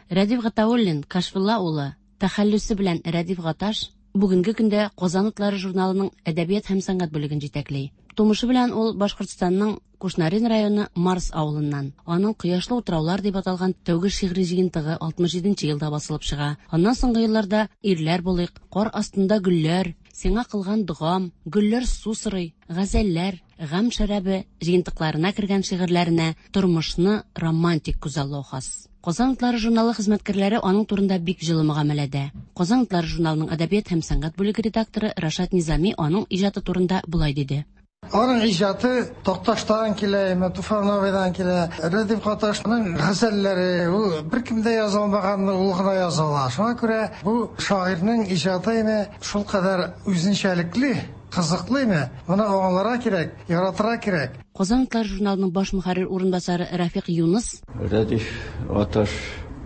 Рәдиф Гатауллин Кашфулла улы, тәхәллүсе белән Рәдиф Гаташ, бүгенге көндә Казан утлары журналының әдәбият һәм сәнгать бүлеген җитәкли. Тумышы белән ул Башкортстанның Кушнарен районы Марс авылыннан. Аның Кояшлы утраулар дип аталган тәүге шигъри җыентыгы 67 нче елда басылып чыга. Аннан соңгы елларда Ирләр булыйк, Кар астында гөлләр, Сиңа кылган догам, Гөлләр су сорый, Газәлләр, Гамь шәрабе җыентыкларына кергән шигырьләренә тормышны романтик күзаллау хас. Казан утлары журналы хезмәткәрләре аның турында бик җылы мөгамәләдә. Казан утлары журналының әдәбият һәм сәнгать бүлеге редакторы Рашат Низами аның иҗаты турында болай диде. Аның иҗаты Такташтан килә, менә Туфан абыйдан килә. Рәдиф Гаташның газәлләре, ул беркем дә яза алмаганны ул гына яза ала. Шуңа күрә бу шагыйрьнең иҗаты инде шулкадәр үзенчәлекле. Кызыклы име? Моны аңларга кирәк, яратырга кирәк. Казан утлары журналының баш мөхәррир урынбасары Рәфикъ Юныс. Рәдиф Гаташ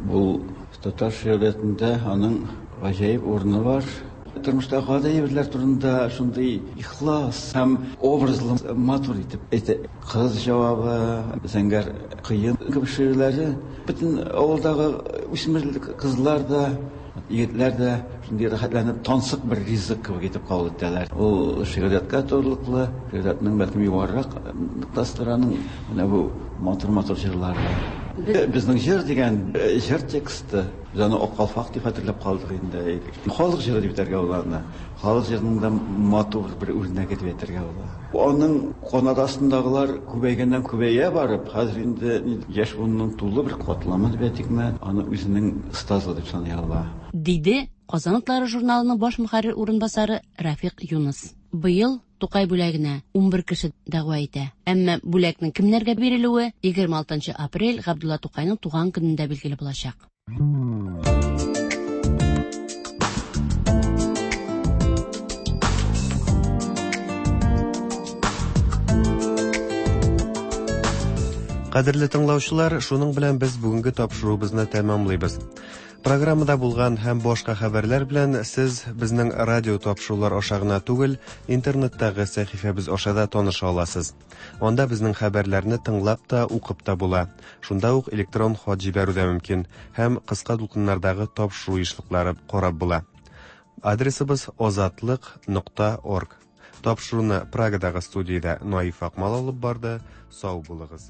бу татар шигъриятендә аның гаҗәеп урыны бар. Тормышта гади әйберләр турында шундый ихлас һәм образлы матур итеп әйтә. Кыз җавабы, Зәңгәр кыен кебек шигырьләре бөтен авылдагы үсмер кызлар да Егетләр дә шундый рәхәтләнеп тансык бер ризык кебек итеп кабул итәләр. Ул шигърияткә турылыклы, шигъриятнең бәлкем югарырак ноктасыдыр аның менә бу матур-матур җырлары. Безнең җыр дигән җыр тексты, без аны Ак калфак дип хәтерләп калдык инде. Халык җыры дип әйтергә була аны. Халык җырының да матур бер үрнәге дип әйтергә була. Аның канат астындагылар күбәйгәннән күбәя барып, хәзер инде яшь буынның тулы бер катламы дип әйтикме, аны үзенең остазы дип саный ала. Диде Казан утлары журналының баш мөхәррир урынбасары Рафик Юныс. Быел Тукай бүләгенә 11 кеше дәгъва итә. Әмма бүләкнең кемнәргә бирелүе 26 нчы апрель Габдулла Тукайның туган көнендә билгеле булачак. Кадерле тыңлаучылар, шуның белән без бүгенге тапшыруыбызны тәмамлыйбыз. Программада булган һәм башка хәбәрләр белән сез безнең радио тапшырулар аша гына түгел, интернеттагы сәхифәбез аша да таныша аласыз. Анда безнең хәбәрләрне тыңлап та, укып та була. Шунда ук электрон хат җибәрү дә мөмкин һәм кыска дулкыннардагы тапшыру ешлыклары карап була. Адресыбыз озатлык.орг. Тапшыруны Прагадагы студиядә Наиф Акмал алып барды. Сау булыгыз.